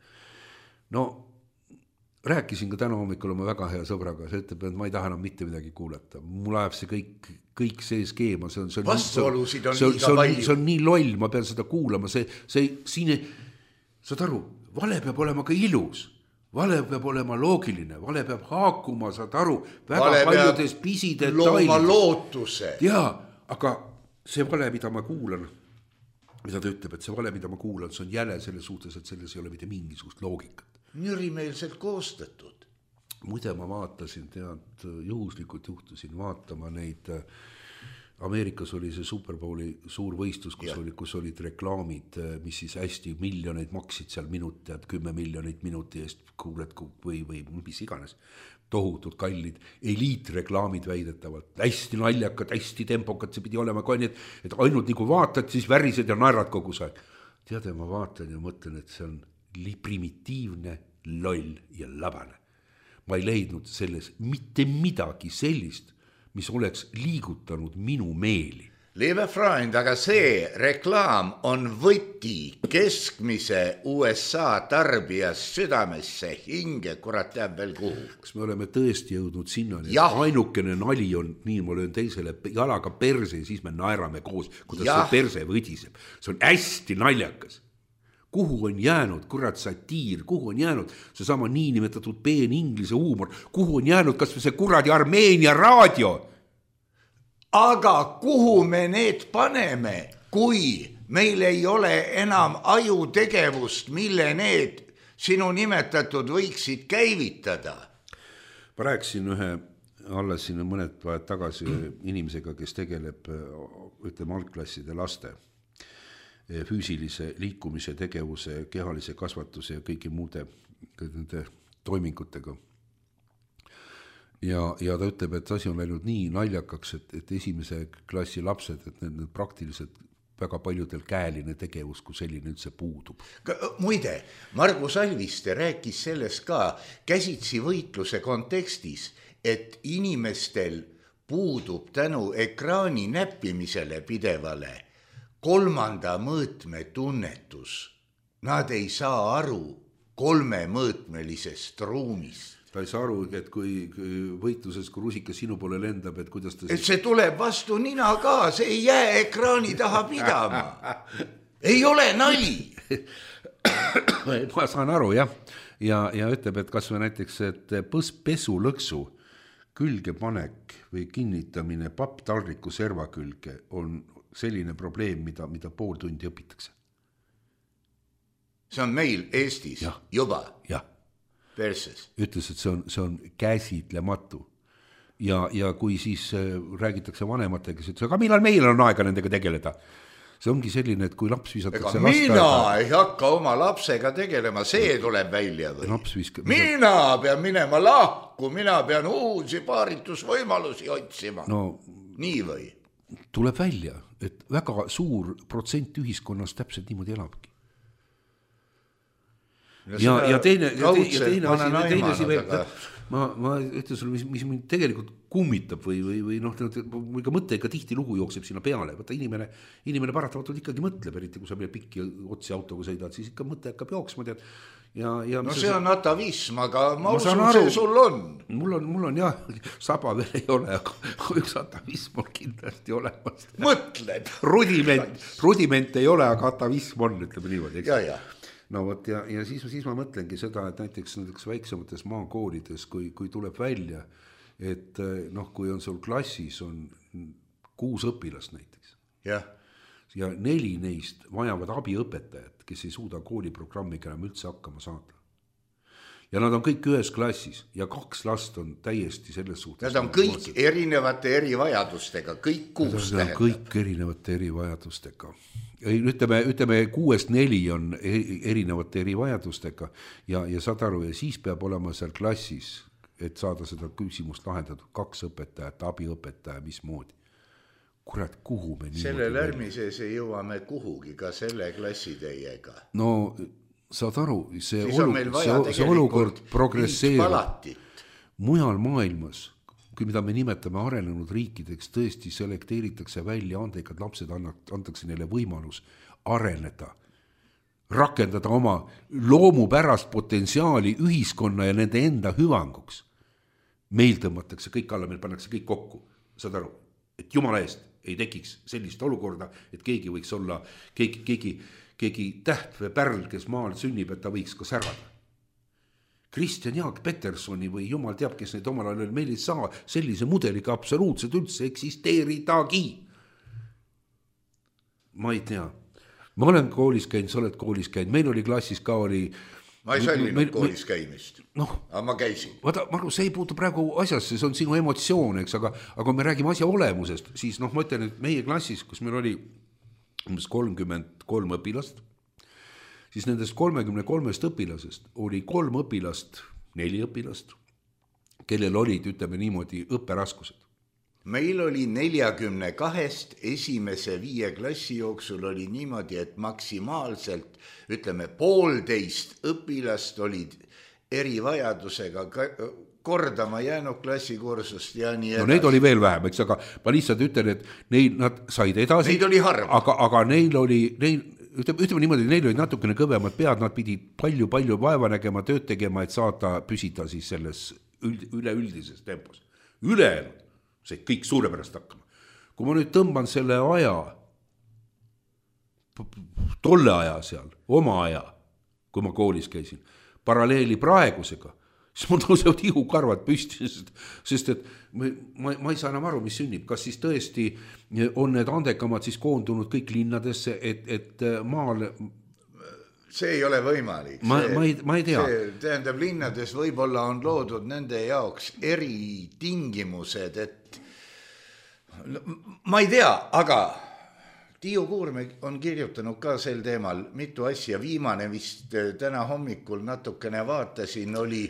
Rääkisin ka täna hommikul oma väga hea sõbraga, see ütleb, et ma ei taha enam mitte midagi kuulata. Mul läheb see kõik see skeema, see on nii loll, ma pean seda kuulama, saad aru, vale peab olema ka ilus, vale peab olema loogiline, vale peab haakuma, saad aru, väga paljudes pisidetailides. Looma lootuse. Jaa, aga see vale, mida ma kuulan, mida ta ütleb, et see vale, mida ma kuulan, see on jäle selle suhtes, et selles ei ole mitte mingisugust loogikat. Nürimeelselt koostatud. Muide ma vaatasin, tead, juhuslikult juhtusin vaatama neid, Ameerikas oli see Superbowli suur võistlus, kus olid reklaamid, mis siis hästi miljoneid maksid seal minuti, 10 miljonit minuti eest kuuled või mis iganes, tohutult kallid, eliitreklaamid väidetavalt, hästi naljakad, hästi tempokad, see pidi olema ka nii, et ainult nagu vaatad, siis värised ja naerad kogu aeg. Teade, ma vaatan ja mõtlen, et see on primitiivne, loll ja labane. Ma ei leidnud selles mitte midagi sellist, mis oleks liigutanud minu meeli. Liebe Freund, aga see reklaam on võti keskmise USA tarbijas südamesse, hinge, kurat teab veel kuhu. Kas me oleme tõesti jõudnud sinna, ainukene nali on, nii ma löön teisele jalaga perse ja siis me naerame koos, kuidas see perse võdiseb. See on hästi naljakas. Kuhu on jäänud, kurat, satiir, kuhu on jäänud see sama niinimetatud peen inglise huumor, kuhu on jäänud kas see kuradi Armeenia raadio? Aga kuhu me need paneme, kui meil ei ole enam ajutegevust, mille need sinu nimetatud võiksid käivitada? Ma rääkisin alles siin mõned päevad tagasi inimesega, kes tegeleb, ütleme, algklasside laste füüsilise liikumise, tegevuse, kehalise kasvatuse ja kõigi muude toimingutega. Ja ta ütleb, et asi on läinud nii naljakaks, et esimese klassi lapsed, et need praktiliselt väga paljudel käeline tegevus, kui selline üldse puudub. Muide, Margus Alviste rääkis sellest ka käsitsi võitluse kontekstis, et inimestel puudub tänu ekraani näppimisele pidevale kolmanda mõõtme tunnetus. Nad ei saa aru kolmemõõtmelisest ruumist. Ta ei saa aru, et kui võitluses, kui rusika sinu poole lendab, et kuidas ta... Et see tuleb vastu nina ka, see ei jää ekraani taha pidama. Ei ole nali. Ma saan aru, jah. Ja ütleb, et kas või näiteks, et pesulõksu külge panek või kinnitamine papptaldriku serva külge on selline probleem, mida pool tundi õpitakse. See on meil Eestis juba. Jah. Perses. Ütles, et see on käsitlematu. Ja kui siis räägitakse vanematega, siis aga millal meil on aega nendega tegeleda? See ongi selline, et kui laps visatakse mina ei hakka oma lapsega tegelema, see tuleb välja või? Mina pean minema lahku, mina pean uusi paaritusvõimalusi otsima. Nii või? Tuleb välja, et väga suur protsent ühiskonnas täpselt niimoodi elabki. Ja teine asi veel, ma ütlen sulle, mis mind tegelikult kummitab või ka mõte ikka tihti lugu jookseb sinna peale, võtta inimene paratamatult ikkagi mõtleb, eriti kui sa meil pikki otsi autoga sõidad, siis ikka mõte hakkab jooksma, tead. See on atavism, aga ma usun, see sul on. Mul on jah, saba veel ei ole, aga üks atavism on kindlasti olemas. Mõtled. Rudiment ei ole, aga atavism on, ütleme niimoodi. Ja. No võt, ja siis ma mõtlengi seda, et näiteks väiksemates maakoolides, kui tuleb välja, et kui on sul klassis on 6 õpilast näiteks. Ja 4 neist vajavad abiõpetajat, kes ei suuda kooliprogrammiga enam üldse hakkama saada. Ja nad on kõik ühes klassis ja 2 last on täiesti selles suhtes. Nad on kõik erinevate erivajadustega, kõik 6 tähendab. Kõik erinevate erivajadustega. Ütleme 6-4 on erinevate erivajadustega ja saad aru, ja siis peab olema seal klassis, et saada seda küsimust lahendatud 2 õpetajat, abiõpetaja, mismoodi. Kurat, kuhu me niimoodi... Selle lärmises ei jõuame kuhugi ka selle klassiteiega. No saad aru, see olukord progresseerub. Mujal maailmas, kui mida me nimetame arenenud riikideks, tõesti selekteeritakse välja andekad lapsed, antakse neile võimalus areneda, rakendada oma loomupärast potentsiaali ühiskonna ja nende enda hüvanguks. Meil tõmmatakse kõik alla, meil pannakse kõik kokku, saad aru, et jumala eest ei tekiks sellist olukorda, et keegi võiks olla, keegi täht või pärl, kes maal sünnib, et ta võiks ka särada. Kristjan Jaak Petersoni või jumal teab, kes neid omal ajal meil ei saa sellise mudeliga absoluutselt üldse eksisteeridagi. Ma ei tea. ma olen koolis käinud, sa oled koolis käinud, meil oli klassis ka oli ma ei sallinud koolis käimist, aga ma käisin. Vaata, Maru, see ei puutu praegu asjasse, see on sinu emotsioon, eks, aga kui me räägime asja olemusest, siis ma ütlen, et meie klassis, kus meil oli umbes 33 õpilast, siis nendest 33 õpilasest oli 3 õpilast, 4 õpilast, kellel olid, ütleme niimoodi, õpperaskused. Meil oli 42 esimese 5 klassi jooksul oli niimoodi, et maksimaalselt, ütleme, 1,5 õpilast olid erivajadusega kordama jäänud klassikursust ja nii edasi. No neid oli veel vähem, eks, aga ma lihtsalt ütlen, et nad said edasi. Neid oli harv. Aga neil oli, ütleme niimoodi, neil oli natukene kõvemad pead, nad pidid palju vaeva nägema, tööd tegema, et saada püsida siis selles üleüldises tempos. Ülejäänud see kõik suurepärast hakkama. Kui ma nüüd tõmban selle aja, tolle aja seal, oma aja, kui ma koolis käisin, paralleeli praegusega, siis mul tõusevad ihukarvad püsti, sest et ma ei saa enam aru, mis sünnib. Kas siis tõesti on need andekamad siis koondunud kõik linnadesse, et maal... See ei ole võimalik. Ma ei tea. See tähendab, linnades võib-olla on loodud nende jaoks eritingimused, et ma ei tea, aga Tiiu Kuurme on kirjutanud ka sel teemal mitu asja. Viimane vist täna hommikul natukene vaatasin, oli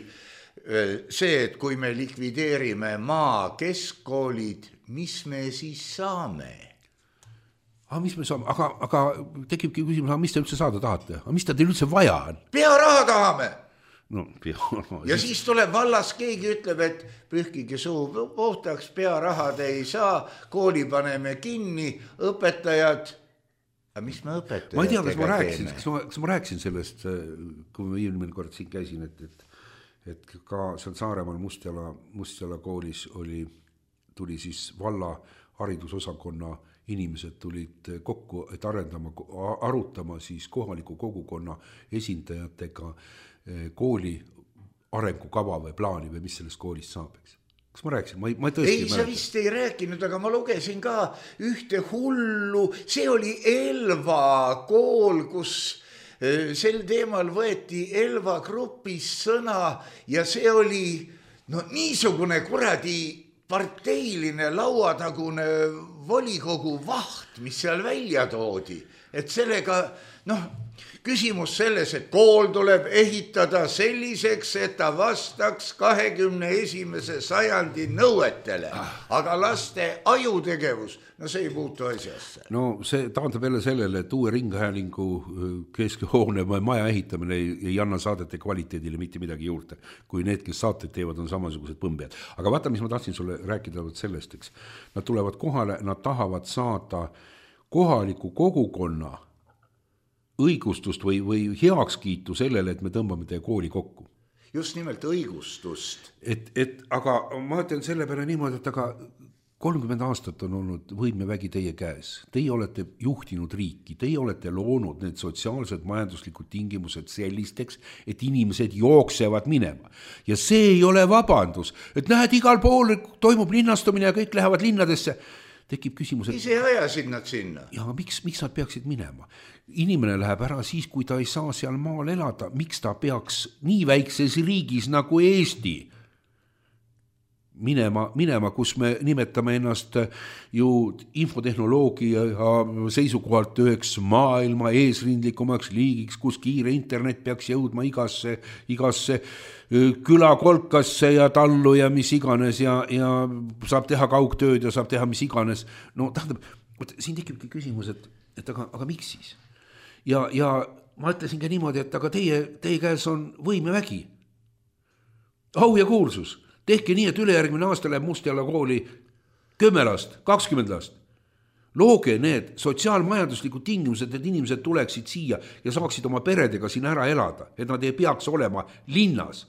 see, et kui me likvideerime maa keskkoolid, mis me siis saame? Mis me saame? Aga tekibki küsimus, mis te üldse saada tahate? Mis te teil üldse vaja on? Pearaha tahame! No, ja siis tuleb vallas, keegi ütleb, et pühkige suu puhtaks, pearahad ei saa, kooli paneme kinni, õpetajad. Aga mis me õpetajatega ma ei tea, kas ma rääkisin sellest, kui ma eelmine kord siin käisin, et ka seal Saaremaal Mustjala koolis tuli siis valla haridusosakonna inimesed tulid kokku, et arutama siis kohaliku kogukonna esindajatega kooli arengukava või plaani või mis sellest koolist saab, eks. Kas ma rääkisin? Ma tõesti ei, sa vist ei rääkinud, aga ma lugesin ka ühte hullu, see oli Elva kool, kus sel teemal võeti Elva grupis sõna ja see oli niisugune kuradi parteiline lauatagune volikogu vaht, mis seal välja toodi, et sellega, küsimus selles, et kool tuleb ehitada selliseks, et ta vastaks 21. sajandi nõuetele, aga laste ajutegevus, see ei puutu asjasse. No see taandab jälle sellele, et uue ringhäälingu keskhoone või maja ehitamine ei anna saadete kvaliteedile mitte midagi juurde, kui need, kes saated teevad, on samasugused põmbjad. Aga vaata, mis ma tahtsin sulle rääkida sellest, eks. Nad tulevad kohale, nad tahavad saada kohaliku kogukonna õigustust või heakskiitu sellele, et me tõmbame teie kooli kokku. Just nimelt õigustust. Aga ma ütlen selle peale niimoodi, et aga 30 aastat on olnud võimevägi teie käes. Teie olete juhtinud riiki, teie olete loonud need sotsiaalsed majanduslikud tingimused sellisteks, et inimesed jooksevad minema. Ja see ei ole vabandus, et näed, igal pool toimub linnastumine ja kõik lähevad linnadesse. Tekib küsimus, et... Ise ajasid nad sinna. Ja miks nad peaksid minema? Inimene läheb ära siis, kui ta ei saa seal maal elada. Miks ta peaks nii väikses riigis nagu Eesti minema, kus me nimetame ennast ju infotehnoloogia seisukohalt üheks maailma eesrindlikumaks liigiks, kus kiire internet peaks jõudma igasse külakolkasse ja tallu ja mis iganes ja saab teha kaugtööd ja saab teha mis iganes. No tähendab, siin tekibki küsimus, et aga miks siis? Ja ma ütlesin ka niimoodi, et aga teie käes on võimevägi. Au ja kuulsus. Tehke nii, et ülejärgmine aasta läheb Mustjala kooli 10 last, 20 last. Looge need sotsiaalmajanduslikud tingimused, et inimesed tuleksid siia ja saaksid oma peredega siin ära elada, et nad ei peaks olema linnas.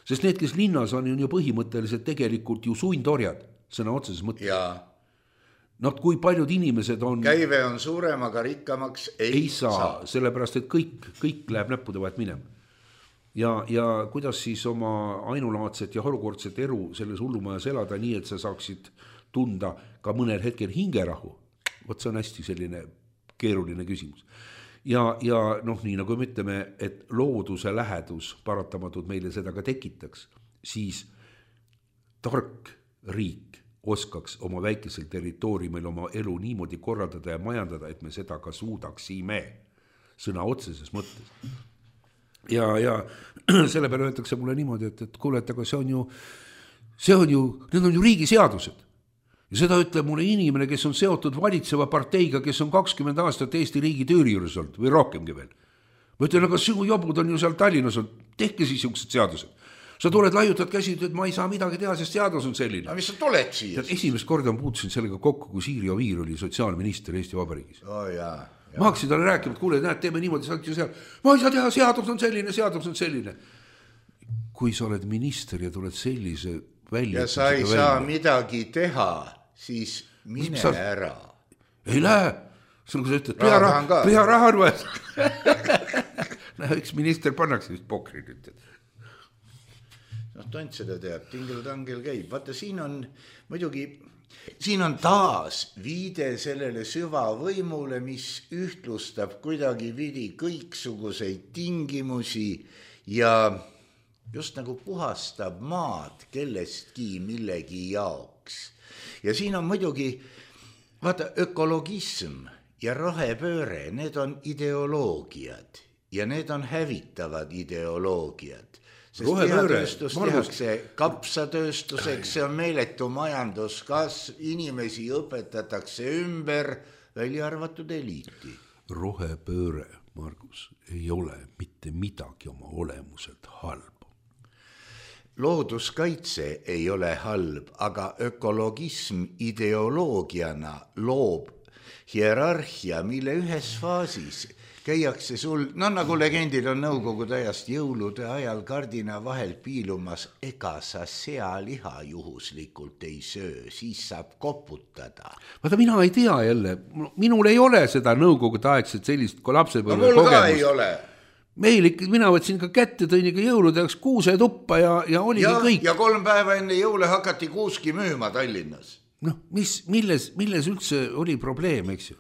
Sest need, kes linnas on ju põhimõtteliselt tegelikult ju sundorjad, sõna otseses mõttes. Kui paljud inimesed on... Käive on suurem, aga rikkamaks ei saa. Sellepärast, et kõik läheb näppude vahet minema. Ja kuidas siis oma ainulaadset ja harukordset elu selles hullumajas elada nii, et sa saaksid tunda ka mõnel hetkel hingerahu. Vot see on hästi selline keeruline küsimus. ja noh, nii nagu me ütleme, et looduse lähedus paratamatult meile seda ka tekitaks, siis tark riik oskaks oma väikesel territooriumil oma elu niimoodi korraldada ja majandada, et me seda ka suudaksime sõna otseses mõttes. Ja selle peale öeldakse mulle niimoodi, et kuule, et aga need on ju riigi seadused. Ja seda ütleb mulle inimene, kes on seotud valitseva parteiga, kes on 20 aastat Eesti riigi tüüri juures olnud või rohkemgi veel. Ma ütlen, aga sinu jobud on ju seal Tallinnas olnud, tehke siis niisugused seadused. Sa tuled, laiutad käsi, et ma ei saa midagi teha, sest seadus on selline. Aga mis sa tuled siia? Esimest korda ma puutusin sellega kokku, kui Siiri Oviir oli sotsiaalminister Eesti Vabariigis. Ja. Ma hakkasin talle rääkima, et kuule, näed, teeme niimoodi, ma ei saa teha, seadus on selline. Kui sa oled minister ja tuled sellise välja. Ja sa ei saa midagi teha, siis mine ära. Ei lähe. Sul kui sa ütled, püharaha on vaja. Üks minister pannakse vist pokri nüüd. Tont seda teab, tingel-tangel käib. Vaata, siin on taas viide sellele süvavõimule, mis ühtlustab kuidagi vidi kõiksuguseid tingimusi ja just nagu puhastab maad kellestki millegi jaoks. Ja siin on muidugi, vaata, ökologism ja rohepööre, need on ideoloogiad ja need on hävitavad ideoloogiad. Sest lihatööstus tehakse kapsatööstuseks, see on meeletu majanduskasv, inimesi õpetatakse ümber, välja arvatud eliiti. Rohepööre, Margus, ei ole mitte midagi oma olemuselt halb. Looduskaitse ei ole halb, aga ökologism ideoloogiana loob hierarhia, mille ühes faasis käiakse sul, nagu legendid on nõukogude ajast jõulude ajal kardina vahel piilumas, ega sa sealiha juhuslikult ei söö, siis saab koputada. Vaata, mina ei tea jälle, minul ei ole seda nõukogude aegset sellist lapsepõlve kogemust. Mul ka ei ole. Meil ikka, mina võtsin ka kätte, tõin ikka jõuludeks kuusetuppa ja oligi kõik. Ja 3 päeva enne jõule hakati kuuski müüma Tallinnas. Noh, milles üldse oli probleem, eks ju?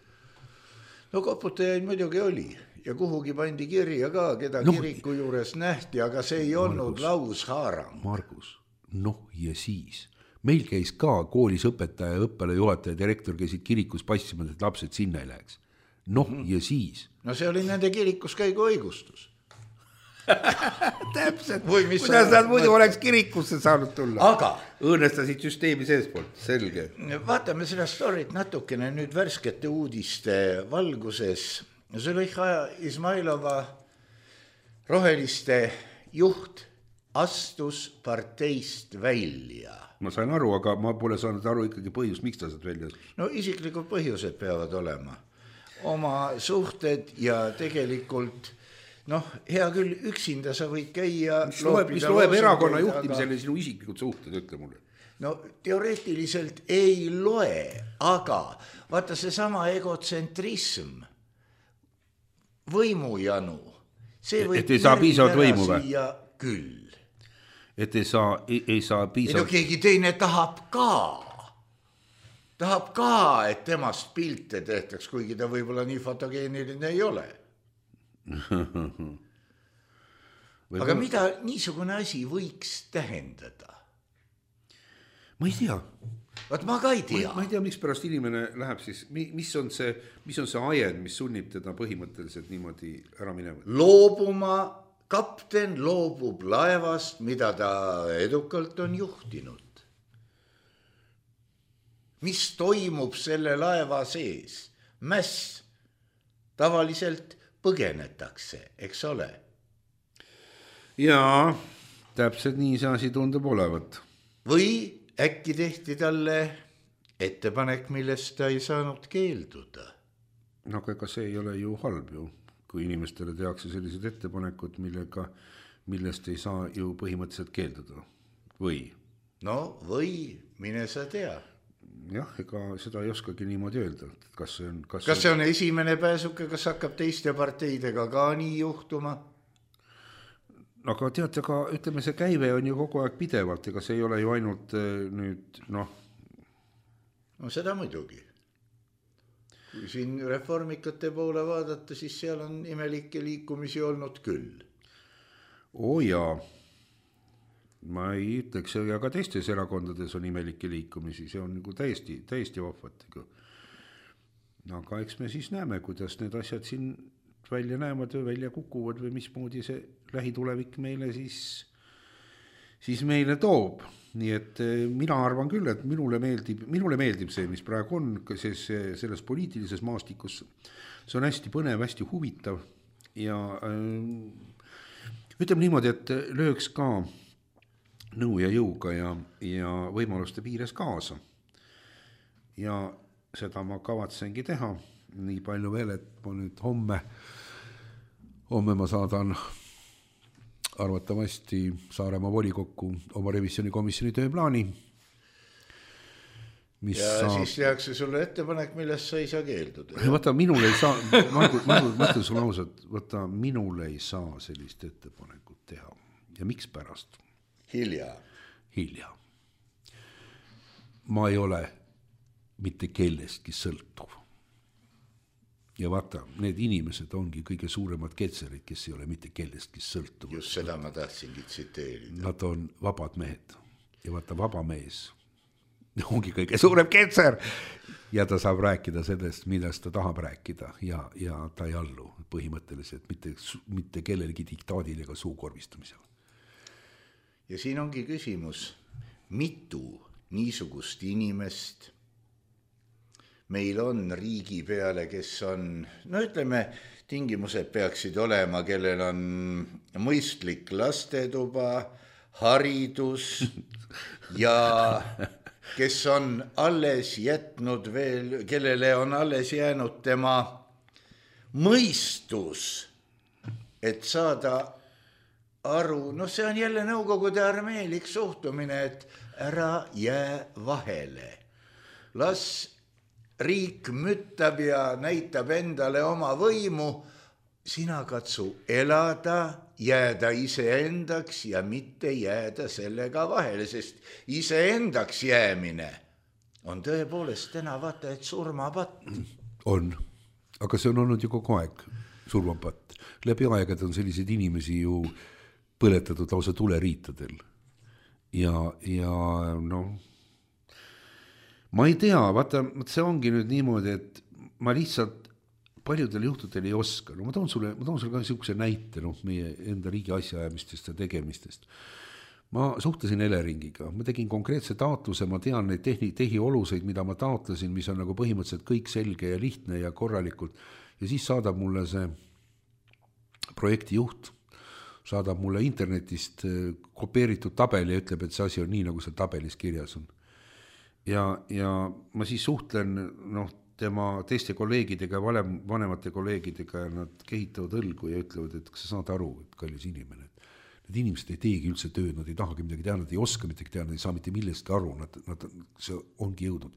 No koputajaid muidugi oli ja kuhugi pandi kirja ka, keda kiriku juures nähti, aga see ei olnud laushaarang. Margus, ja siis. Meil käis ka koolis õpetaja, õppealajuhataja, direktor käisid kirikus passimas, et lapsed sinna ei läheks. Ja siis. No see oli nende kirikus käigu õigustus. Täpselt, kuidas nad muidu oleks kirikusse saanud tulla. Aga õõnestasid süsteemi seespoolt, selge. Vaatame seda storit natukene nüüd värskete uudiste valguses. Züleyxa Izmailova roheliste juht astus parteist välja. Ma sain aru, aga ma pole saanud aru ikkagi põhjus, miks ta saad välja. No isiklikud põhjused peavad olema. Oma suhted ja tegelikult hea küll, üksinda sa võid käia. Mis loeb erakonna juhtimisele sinu isiklikud suhted, ütle mulle? No teoreetiliselt ei loe, aga vaata see sama egotsentrism, võimujanu, see võib et ei saa piisavalt võimu või? Küll. Et ei saa piisavalt. No keegi teine tahab ka, et temast pilte tehtaks, kuigi ta võib-olla nii fotogeeniline ei ole. Aga mida niisugune asi võiks tähendada? Ma ei tea. Vaat ma ka ei tea. Ma ei tea, miks pärast inimene läheb siis, mis on see ajend, mis sunnib teda põhimõtteliselt niimoodi ära minema? Kapten loobub laevast, mida ta edukalt on juhtinud. Mis toimub selle laeva sees? Mäss. Tavaliselt põgenetakse, eks ole? Jaa, täpselt nii see asi tundub olevat. Või äkki tehti talle ettepanek, millest ta ei saanud keelduda? No aga see ei ole ju halb ju, kui inimestele tehakse sellised ettepanekud, millest ei saa ju põhimõtteliselt keelduda. Või? No või, mine sa tea. Jah, ega seda ei oskagi niimoodi öelda. Kas see on esimene pääsuke, kas hakkab teiste parteidega ka nii juhtuma? Aga teate, ütleme, see käive on ju kogu aeg pidevalt, ega see ei ole ju ainult nüüd, No seda muidugi. kui siin reformikate poole vaadata, siis seal on imelikke liikumisi olnud küll. Jaa, ma ei ütleks, ja ka teistes erakondades on imelikke liikumisi, see on nagu täiesti vahvat. Aga eks me siis näeme, kuidas need asjad siin välja näevad või välja kukuvad või mismoodi see lähitulevik meile siis meile toob. Nii et mina arvan küll, et minule meeldib see, mis praegu on, selles poliitilises maastikus. See on hästi põnev, hästi huvitav ja ütleme niimoodi, et lööks ka nõu ja jõuga ja võimaluste piires kaasa. Ja seda ma kavatsengi teha. Nii palju veel, et ma nüüd homme ma saadan arvatavasti Saaremaa volikokku oma revisjonikomisjoni tööplaani. Siis tehakse sulle ettepanek, millest sa ei saa keelduda. Vaata, minul ei saa, ma mõtlen sulle ausalt, vaata, minul ei saa sellist ettepanekut teha. Ja miks pärast? Hilja. Ma ei ole mitte kellestki sõltuv. Ja vaata, need inimesed ongi kõige suuremad ketserid, kes ei ole mitte kellestki sõltuvad. Just seda ma tahtsingi tsiteerida. Nad on vabad mehed ja vaata, vaba mees ongi kõige suurem ketser ja ta saab rääkida sellest, millest ta tahab rääkida ja ta ei allu põhimõtteliselt mitte kellelegi diktaadile ega suukorvistamisele. Ja siin ongi küsimus, mitu niisugust inimest meil on riigi peale, kes on, no ütleme, tingimused peaksid olema, kellel on mõistlik lastetuba, haridus ja kes on alles jätnud veel, kellele on alles jäänud tema mõistus, et saada aru, no see on jälle nõukogude armeelik suhtumine, et ära jää vahele. Las riik müttab ja näitab endale oma võimu, sina katsu elada, jääda iseendaks ja mitte jääda sellega vahele, sest iseendaks jäämine on tõepoolest täna vaata, et surmapatt. On, aga see on olnud ju kogu aeg surmapatt. Läbi aegad on selliseid inimesi ju põletatud lausa tuleriitadel. Ja noh, ma ei tea, vaata, see ongi nüüd niimoodi, et ma lihtsalt paljudel juhtudel ei oska. No ma toon sulle ka niisuguse näite meie enda riigi asjaajamistest ja tegemistest. Ma suhtlesin Eleringiga, ma tegin konkreetse taotluse, ma tean neid tehioluseid, mida ma taotlesin, mis on nagu põhimõtteliselt kõik selge ja lihtne ja korralikult. Ja siis saadab mulle see projekti juht, saadab mulle internetist kopeeritud tabeli ja ütleb, et see asi on nii, nagu see tabelis kirjas on. Ja ma siis suhtlen tema teiste kolleegidega, vanemate kolleegidega ja nad kehitavad õlgu ja ütlevad, et kas sa saad aru, et kallis inimene, et need inimesed ei teegi üldse tööd, nad ei tahagi midagi teha, nad ei oska midagi teha, nad ei saa mitte millestki aru, see ongi jõudnud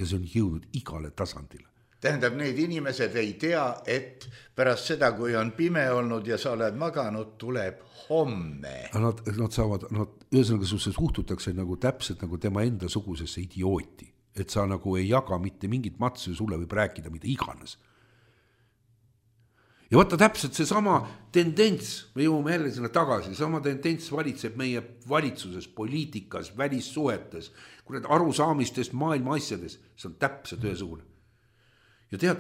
ja see on jõudnud igale tasandile. Tähendab, need inimesed ei tea, et pärast seda, kui on pime olnud ja sa oled maganud, tuleb homme. Nad saavad, ühesõnaga suhtutakse nagu täpselt nagu tema enda sugusesse idiooti, et sa nagu ei jaga mitte mingit matsu ja sulle võib rääkida mida iganes. Ja vaata täpselt see sama tendents, me jõuame jälle sinna tagasi, sama tendents valitseb meie valitsuses, poliitikas, välissuhetes, kui need arusaamistest maailma asjades, see on täpselt ühesugune. Ja tead,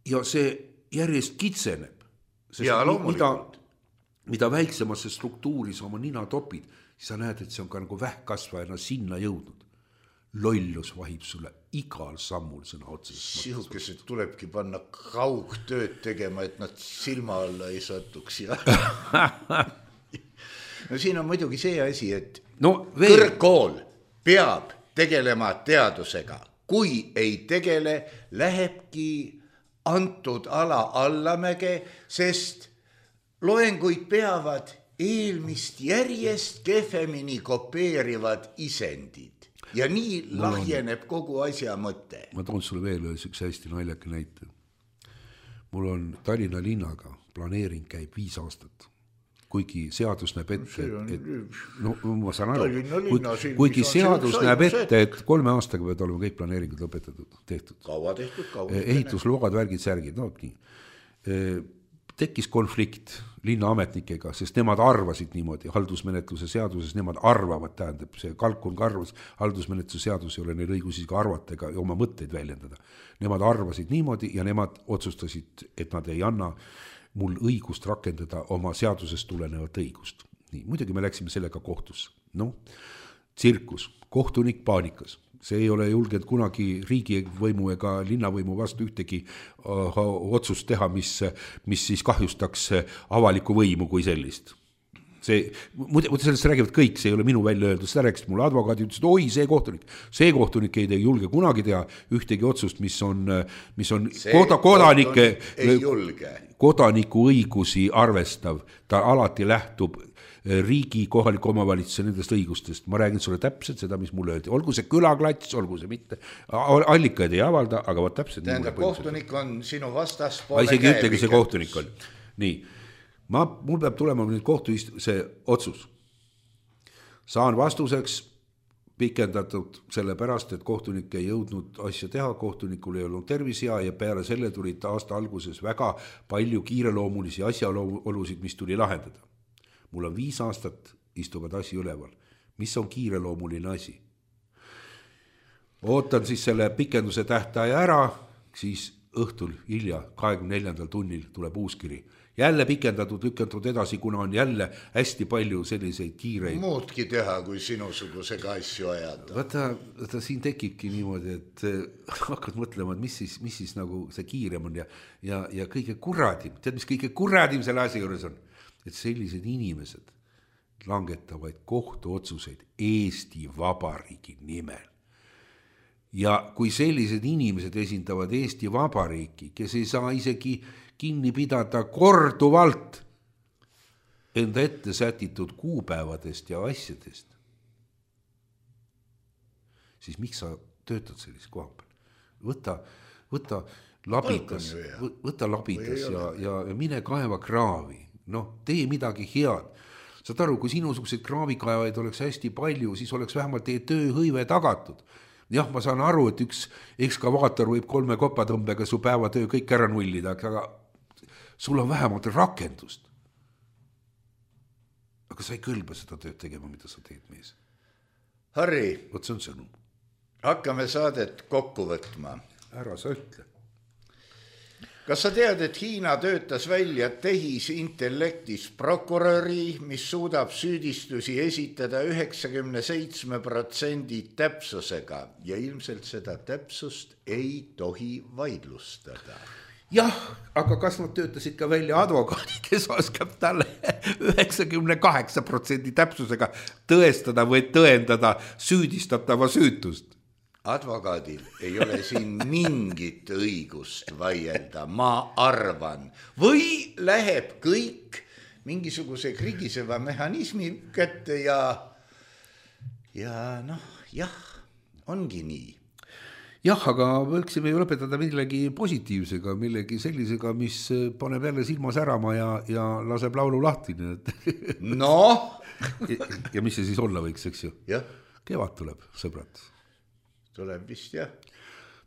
ja see järjest kitseneb, sest mida väiksemasse struktuuri sa oma nina topid, siis sa näed, et see on ka nagu vähkkasvajana sinna jõudnud. Lollus vahib sulle igal sammul sõna otseses. Sihukesed tulebki panna kaugtööd tegema, et nad silma alla ei satuks. No siin on muidugi see asi, et kõrgkool peab tegelema teadusega. Kui ei tegele, lähebki antud ala allamäge, sest loenguid peavad eelmist järjest kehvemini kopeerivad isendid. Ja nii lahjeneb kogu asja mõte. Ma toon sulle veel üks hästi naljaka näite. Mul on Tallinna linnaga planeering käib 5 aastat. kuigi seadus näeb ette, no ma saan aru, kuigi seadus näeb ette, et 3 aastaga peavad olema kõik planeeringud lõpetatud, tehtud. Kaua tehtud. Ehitusload, värgid, särgid, no nii. Tekkis konflikt linnaametnikega, sest nemad arvasid niimoodi, haldusmenetluse seaduses nemad arvavad, tähendab, see kalkun arvas, haldusmenetluse seadus ei ole neil õigusi ka arvata ega oma mõtteid väljendada. Nemad arvasid niimoodi ja nemad otsustasid, et nad ei anna mul õigust rakendada oma seadusest tulenevat õigust. Nii, muidugi me läksime sellega kohtusse. No, tsirkus, kohtunik paanikas. See ei ole julgenud kunagi riigivõimu ega linnavõimu vastu ühtegi otsust teha, mis siis kahjustaks avalikku võimu kui sellist. Muide sellest räägivad kõik, see ei ole minu välja öeldud, seda rääkisid mulle advokaadid, ütlesid, oi, see kohtunik ei julge kunagi teha ühtegi otsust, mis on kodaniku õigusi arvestav, ta alati lähtub riigi, kohaliku omavalitsuse nendest õigustest. Ma räägin sulle täpselt seda, mis mulle öeldi. Olgu see külaklats, olgu see mitte. Allikaid ei avalda, aga vaat täpselt. Tähendab, kohtunik on sinu vastaspoole isegi ütlegi see kohtunik on. Nii, mul peab tulema nüüd see otsus. Saan vastuseks pikendatud selle pärast, et kohtunik ei jõudnud asja teha, kohtunikul ei olnud tervis hea ja peale selle tulid aasta alguses väga palju kiireloomulisi asjaolusid, mis tuli lahendada. Mul on 5 aastat istuvad asi üleval. Mis on kiireloomuline asi? Ootan siis selle pikenduse tähtaja ära, siis õhtul hilja 24. tunnil tuleb uuskiri. Jälle pikendatud, lükendatud edasi, kuna on jälle hästi palju selliseid kiireid. Muudki teha, kui sinusugusega asju ajada. Vaata siin tekibki niimoodi, et hakkad mõtlema, et mis siis nagu see kiirem on ja kõige kurradim. Tead, mis kõige kurradim selle asja juures on? Et sellised inimesed langetavad kohtuotsuseid Eesti Vabariigi nimel. Ja kui sellised inimesed esindavad Eesti Vabariiki, kes ei saa isegi kinni pidada korduvalt enda ette sätitud kuupäevadest ja asjadest, siis miks sa töötad sellise koha peal? Võta labidas ja mine kaeva kraavi. No, tee midagi head. Saad aru, kui sinusugused kraavikaevaid oleks hästi palju, siis oleks vähemalt teie tööhõive tagatud. Jah, ma saan aru, et üks ekskavaator võib 3 kopatõmbega su päevatöö kõik ära nullida, aga sul on vähemalt rakendust. Aga sa ei kõlba seda tööd tegema, mida sa teed, mees. Harri, Vot see on sõnum. Hakkame saadet kokku võtma. Ära sa ütle. Kas sa tead, et Hiina töötas välja tehisintellektis prokuröri, mis suudab süüdistusi esitada 97% täpsusega ja ilmselt seda täpsust ei tohi vaidlustada? Jah, aga kas nad töötasid ka välja advokaadi, kes oskab talle 98% täpsusega tõestada või tõendada süüdistatava süütust? Advokaadil ei ole siin mingit õigust vaielda, ma arvan. Või läheb kõik mingisuguse krigiseva mehhanismi kätte ja noh, jah, ongi nii. Jah, aga võiksime ju lõpetada millegi positiivsega, millegi sellisega, mis paneb jälle silma särama ja laseb laulu lahti. Noh! Ja mis see siis olla võiks, eks ju? Jah. Kevad tuleb, sõbrad. Tuleb vist, jah.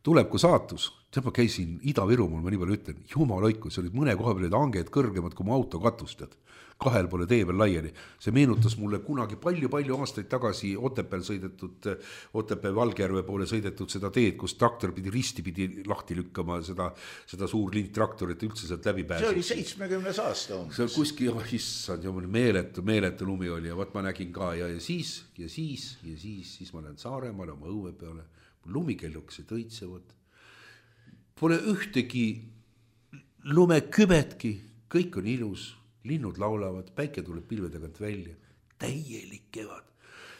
Tuleb kui saatus. Tead, ma käisin Ida-Virumaal, ma nii palju ütlen, jumaloiku, see olid mõne koha peal hanged kõrgemad kui mu auto katustad. 2 poole tee veel laiali. See meenutas mulle kunagi palju aastaid tagasi Otepää Valgjärve poole sõidetud seda teed, kus traktor pidi risti pidi lahti lükkama seda suur lindtraktorit üldse sealt läbi pääseb. See oli 70 aasta umbes. See kuskil, issand, meeletu lumi oli ja võt ma nägin ka ja siis ma lähen Saaremaale oma õue peale. Lumikellukesed õitsevad. Pole ühtegi lumekübetki, kõik on ilus. Linnud laulavad, päike tuleb pilve tagant välja, täielik kevad.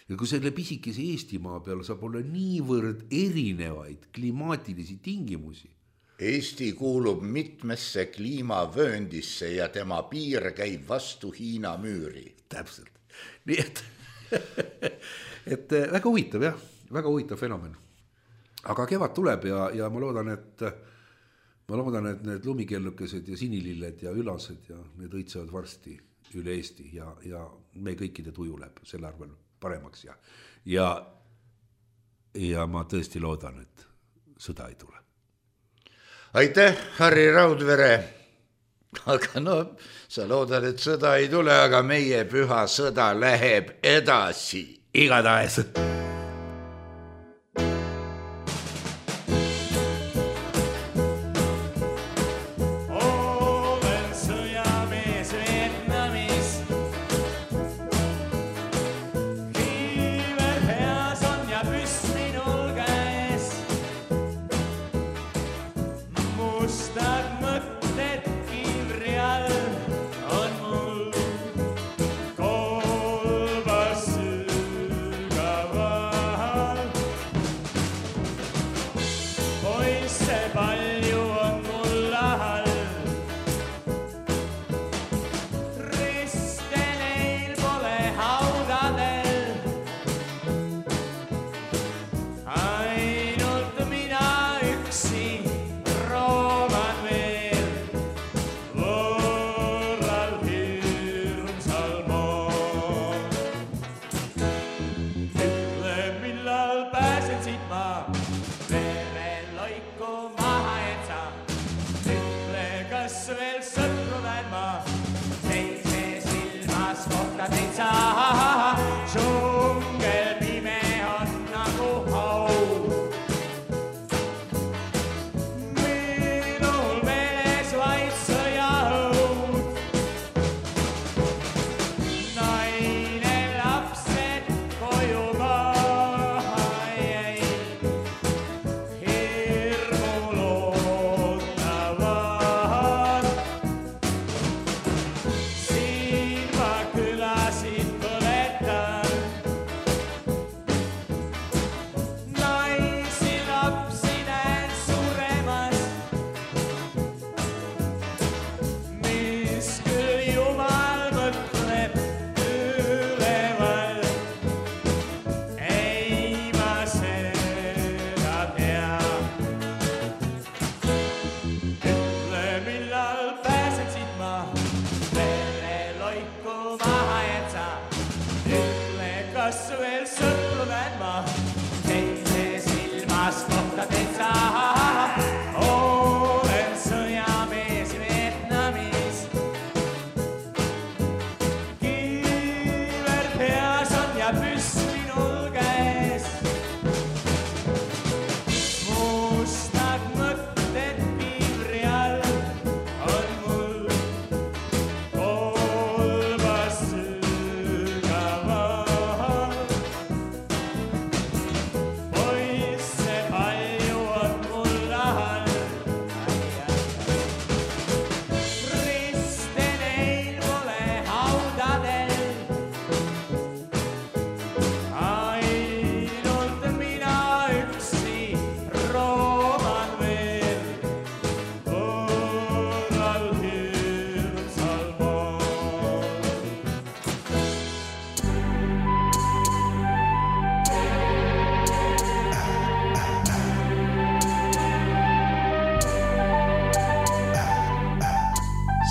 Ja kui selle pisikese Eestimaa peal saab olla niivõrd erinevaid klimaatilisi tingimusi. Eesti kuulub mitmesse kliimavööndisse ja tema piir käib vastu Hiina müüri. Täpselt. Nii et väga huvitav, jah, väga huvitav fenomen. Aga kevad tuleb ja ma loodan, et need lumikellukesed ja sinililled ja ülased ja need õitsevad varsti üle Eesti ja me kõikide tuju läheb selle arvel paremaks ja ma tõesti loodan, et sõda ei tule. Aitäh, Harri Raudvere. Aga no, sa loodad, et sõda ei tule, aga meie püha sõda läheb edasi. Igatahes.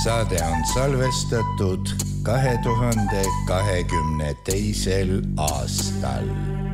Saade on salvestatud 2022. aastal.